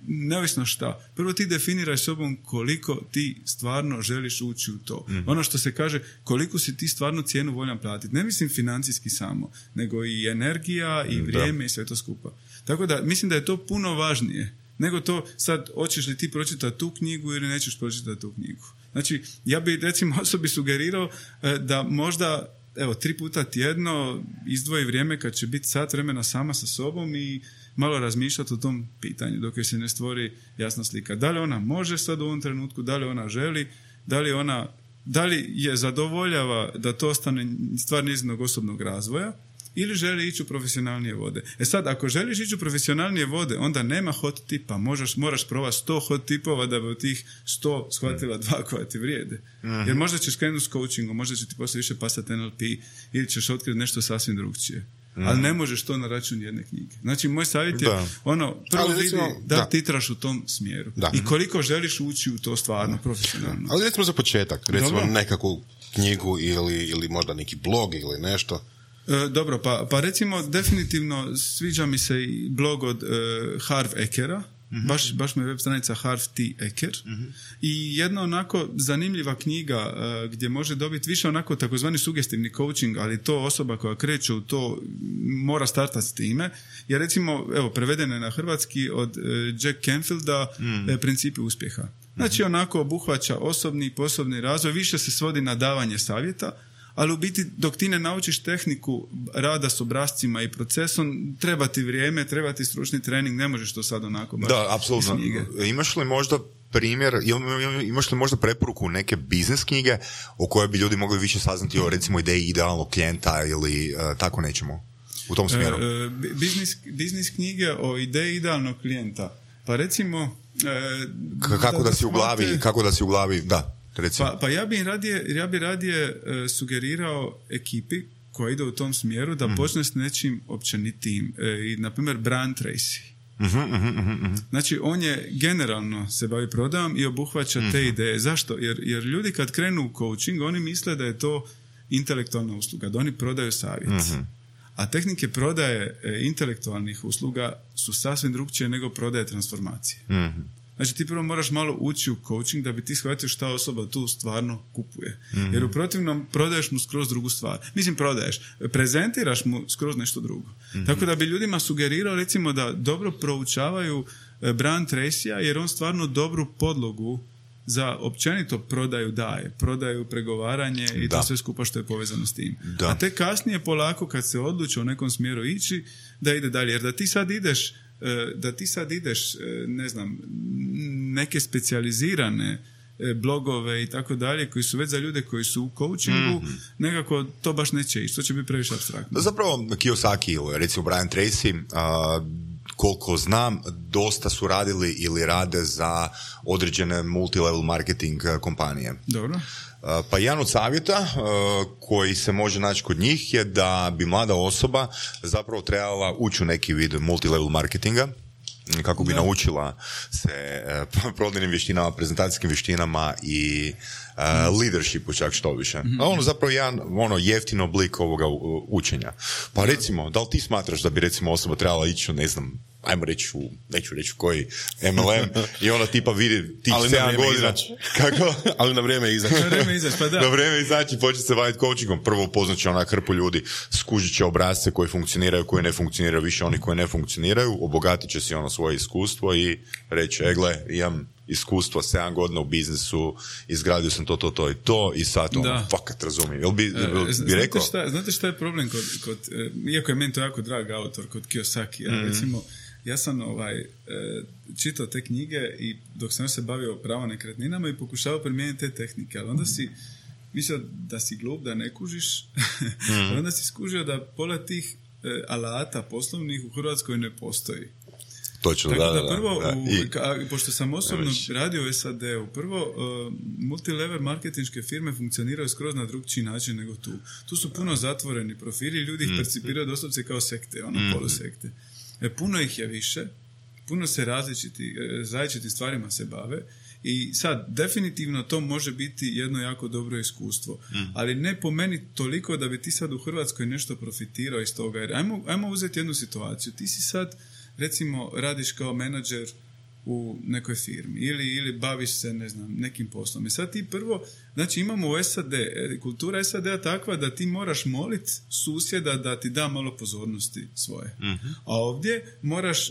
[SPEAKER 3] neovisno šta. Prvo ti definiraj sobom koliko ti stvarno želiš ući u to. Ono što se kaže, koliko si ti stvarno cijenu voljan platiti. Ne mislim financijski samo, nego i energija i vrijeme i sve to skupa. Tako da, mislim da je to puno važnije nego to sad, hoćeš li ti pročitati tu knjigu ili nećeš pročitati tu knjigu. Znači, ja bi recimo osobi sugerirao da možda, 3 puta tjedno izdvoji vrijeme kad će biti sat vremena sama sa sobom i malo razmišljati o tom pitanju dok joj se ne stvori jasna slika. Da li ona može sad u ovom trenutku, da li ona želi, da li je zadovoljava da to ostane stvar njezinog osobnog razvoja, ili želi ići u profesionalnije vode. Sad, ako želiš ići u profesionalnije vode, onda nema hot tipa. Moraš probati 100 hot tipova da bi od tih 100 shvatila 2 koja ti vrijede. Jer možda ćeš krenuti s coachingom, možda će ti poslije više pasati NLP ili ćeš otkriti nešto sasvim drugčije. Ali ne možeš to na račun jedne knjige. Znači, moj savjet je prvo vidi da titraš u tom smjeru. I koliko želiš ući u to stvarno profesionalno.
[SPEAKER 4] Ali recimo za početak, recimo nekakvu knjigu ili možda neki blog ili nešto.
[SPEAKER 3] Dobro, pa recimo definitivno sviđa mi se i blog od Harv Ekera, baš mi je web stranica Harv T. Eker, i jedna onako zanimljiva knjiga gdje može dobiti više onako takozvani sugestivni coaching, ali to osoba koja kreće u to mora startati s time, jer recimo, prevedeno je na hrvatski od Jack Canfielda Principi uspjeha. Znači onako obuhvaća osobni i poslovni razvoj, više se svodi na davanje savjeta, ali u biti dok ti ne naučiš tehniku rada s obrascima i procesom, treba ti vrijeme, treba ti stručni trening, ne možeš to sad onako baš.
[SPEAKER 2] Da, apsolutno. Imaš li možda primjer, imaš li možda preporuku neke biznis knjige o kojoj bi ljudi mogli više saznati o recimo ideji idealnog klijenta ili tako nečemu u tom smjeru?
[SPEAKER 3] Biznis knjige o ideji idealnog klijenta. Pa recimo...
[SPEAKER 2] Kako da si u glavi, da.
[SPEAKER 3] Pa ja bi radije sugerirao ekipi koja ide u tom smjeru da počne s nečim općenitijim. I, na primjer, Brian Tracy. Znači, on je generalno se bavi prodajom i obuhvaća te ideje. Zašto? Jer ljudi kad krenu u coaching, oni misle da je to intelektualna usluga, da oni prodaju savjet. A tehnike prodaje intelektualnih usluga su sasvim drukčije nego prodaje transformacije. Znači ti prvo moraš malo ući u coaching da bi ti shvatio šta osoba tu stvarno kupuje. Jer u protivnom prodaješ mu skroz drugu stvar. Mislim, prezentiraš mu skroz nešto drugo. Tako da bi ljudima sugerirao recimo da dobro proučavaju Brian Tracyja, jer on stvarno dobru podlogu za općenito prodaju, pregovaranje i to sve skupa što je povezano s tim. Da. A te kasnije polako kad se odluče u nekom smjeru ići, da ide dalje. Jer da ti sad ideš, ne znam, neke specijalizirane blogove i tako dalje, koji su već za ljude koji su u coachingu, nekako to baš neće ići. To će biti previše apstraktno.
[SPEAKER 2] Zapravo Kiyosaki ili recimo Brian Tracy, koliko znam, dosta su radili ili rade za određene multilevel marketing kompanije.
[SPEAKER 3] Dobro.
[SPEAKER 2] Pa jedan od savjeta koji se može naći kod njih je da bi mlada osoba zapravo trebala ući u neki vid multilevel marketinga, kako bi naučila se prodajnim vještinama, prezentacijskim vještinama i leadershipu čak što više. A ono zapravo jedan jeftin oblik ovoga učenja. Pa recimo, da li ti smatraš da bi recimo osoba trebala ići, ne znam, ajmo reći neću reći koji MLM i ona tipa vidi tih 7 godina. Kako?
[SPEAKER 4] Ali na vrijeme izaći.
[SPEAKER 3] Pa da.
[SPEAKER 2] Na vrijeme izaći, početi se baviti coachingom. Prvo upoznat će onak hrpu ljudi, skužit će obrasce koji funkcioniraju, koji ne funkcioniraju, više oni koji ne funkcioniraju, obogatit će si svoje iskustvo i reći, gle, imam iskustvo 7 godina u biznisu, izgradio sam to i sad fakat razumijem. Jel bi rekao?
[SPEAKER 3] Znate šta je problem kod iako je meni to jako drag autor kod Kiyosaki, recimo, ja sam čitao te knjige i dok sam se bavio pravo nekretninama i pokušavao primijeniti te tehnike, ali onda si mislio da si glup, da ne kužiš, onda si skužio da pola tih alata poslovnih u Hrvatskoj ne postoji.
[SPEAKER 2] Točno,
[SPEAKER 3] tako da prvo, pošto sam osobno radio u SAD-u, prvo multilevel marketinške firme funkcioniraju skroz na drugčiji način nego tu. Tu su puno zatvoreni profili, ljudi ih percipiraju doslovce kao sekte, polusekte. Puno ih je više, puno se različitim stvarima se bave i sad, definitivno to može biti jedno jako dobro iskustvo, ali ne po meni toliko da bi ti sad u Hrvatskoj nešto profitirao iz toga, jer ajmo uzeti jednu situaciju, ti si sad recimo radiš kao menadžer u nekoj firmi ili baviš se, ne znam, nekim poslom. I sad ti prvo, znači imamo u SAD, kultura SAD-a takva da ti moraš moliti susjeda da ti da malo pozornosti svoje. A ovdje moraš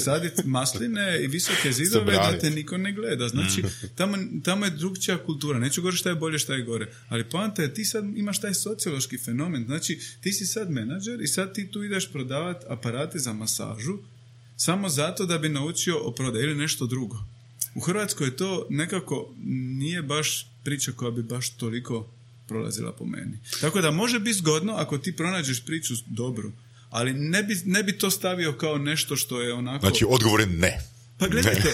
[SPEAKER 3] saditi masline i visoke zidove da te niko ne gleda. Znači, tamo je drugčija kultura. Neću govoriti šta je bolje, šta je gore. Ali poanta je, ti sad imaš taj sociološki fenomen. Znači, ti si sad menadžer i sad ti tu ideš prodavati aparate za masažu samo zato da bi naučio o prodaji ili nešto drugo. U Hrvatskoj to nekako nije baš priča koja bi baš toliko prolazila po meni. Tako da može biti zgodno ako ti pronađeš priču dobru, ali ne bi to stavio kao nešto što je onako...
[SPEAKER 2] Znači, odgovor je ne.
[SPEAKER 3] Pa gledajte,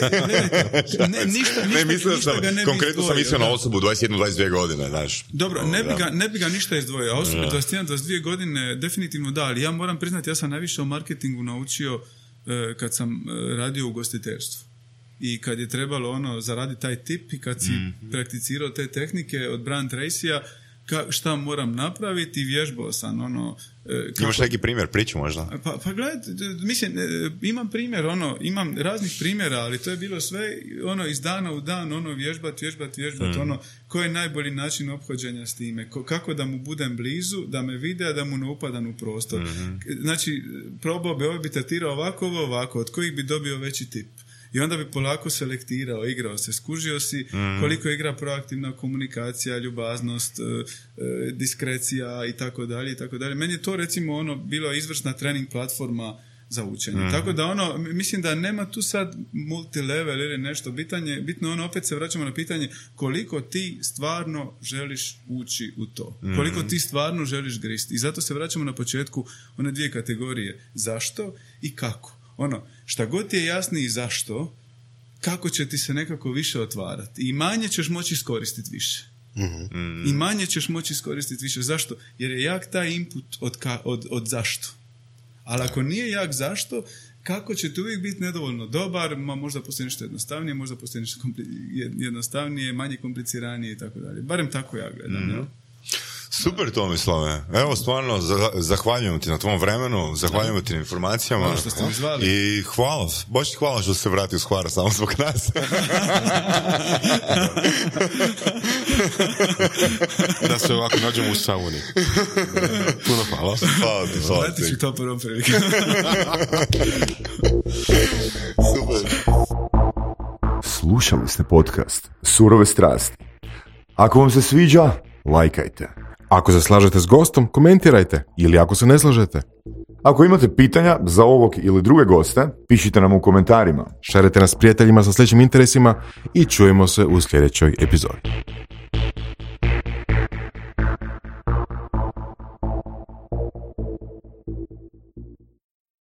[SPEAKER 3] ništa
[SPEAKER 2] mislio
[SPEAKER 3] sam,
[SPEAKER 2] ga ne bi konkretno sam mislio na osobu 21-22 godine, znaš.
[SPEAKER 3] Dobro, ne bi ga ništa izdvojio, a osobu 21-22 godine definitivno da, ali ja moram priznati, ja sam najviše o marketingu naučio kad sam radio u ugostiteljstvu. I kad je trebalo zaraditi taj tip i kad si prakticirao te tehnike od Brian Tracyja, šta moram napraviti, vježbao sam
[SPEAKER 2] Imaš neki primjer, priču možda?
[SPEAKER 3] Pa gledajte, mislim, imam primjer, imam raznih primjera, ali to je bilo sve iz dana u dan, vježbat, koji je najbolji način ophođenja s time, kako da mu budem blizu, da me vide, a da mu ne upadam u prostor. Znači, probao bi, bi tretirao ovako, od kojih bi dobio veći tip. I onda bi polako selektirao, igrao se, skužio si koliko igra proaktivna komunikacija, ljubaznost, diskrecija i tako dalje i tako dalje. Meni je to recimo bilo izvrsna trening platforma za učenje. Tako da mislim da nema tu sad multilevel ili nešto bitno opet se vraćamo na pitanje koliko ti stvarno želiš ući u to. Koliko ti stvarno želiš gristi. I zato se vraćamo na početku one dvije kategorije. Zašto i kako. Šta god ti je jasniji zašto, kako će ti se nekako više otvarati. I manje ćeš moći iskoristiti više. I manje ćeš moći iskoristiti više. Zašto? Jer je jak taj input od zašto. Ali ako nije jak zašto, kako će ti uvijek biti nedovoljno dobar, možda postoji nešto jednostavnije, možda postoji nešto jednostavnije, manje kompliciranije i tako dalje. Barem tako ja gledam.
[SPEAKER 2] Super, Tomislave. Evo, stvarno, zahvaljujem ti na tvom vremenu, zahvaljujem ti na informacijama.
[SPEAKER 3] Što ste mi zvali.
[SPEAKER 2] I hvala, baš ti hvala što se vratio s Hvara samo zbog nas.
[SPEAKER 4] Da se ovako nađemo u sauni. Puno hvala.
[SPEAKER 2] Hvala ti, hvala ti.
[SPEAKER 3] Vrati ću to prvom prilike.
[SPEAKER 2] Super.
[SPEAKER 5] Slušali ste podcast Surove strasti. Ako vam se sviđa, lajkajte.
[SPEAKER 4] Ako se slažete s gostom, komentirajte. Ili ako se ne slažete.
[SPEAKER 5] Ako imate pitanja za ovog ili druge goste, pišite nam u komentarima.
[SPEAKER 4] Šerite nas prijateljima sa sličnim interesima i čujemo se u sljedećoj epizodi.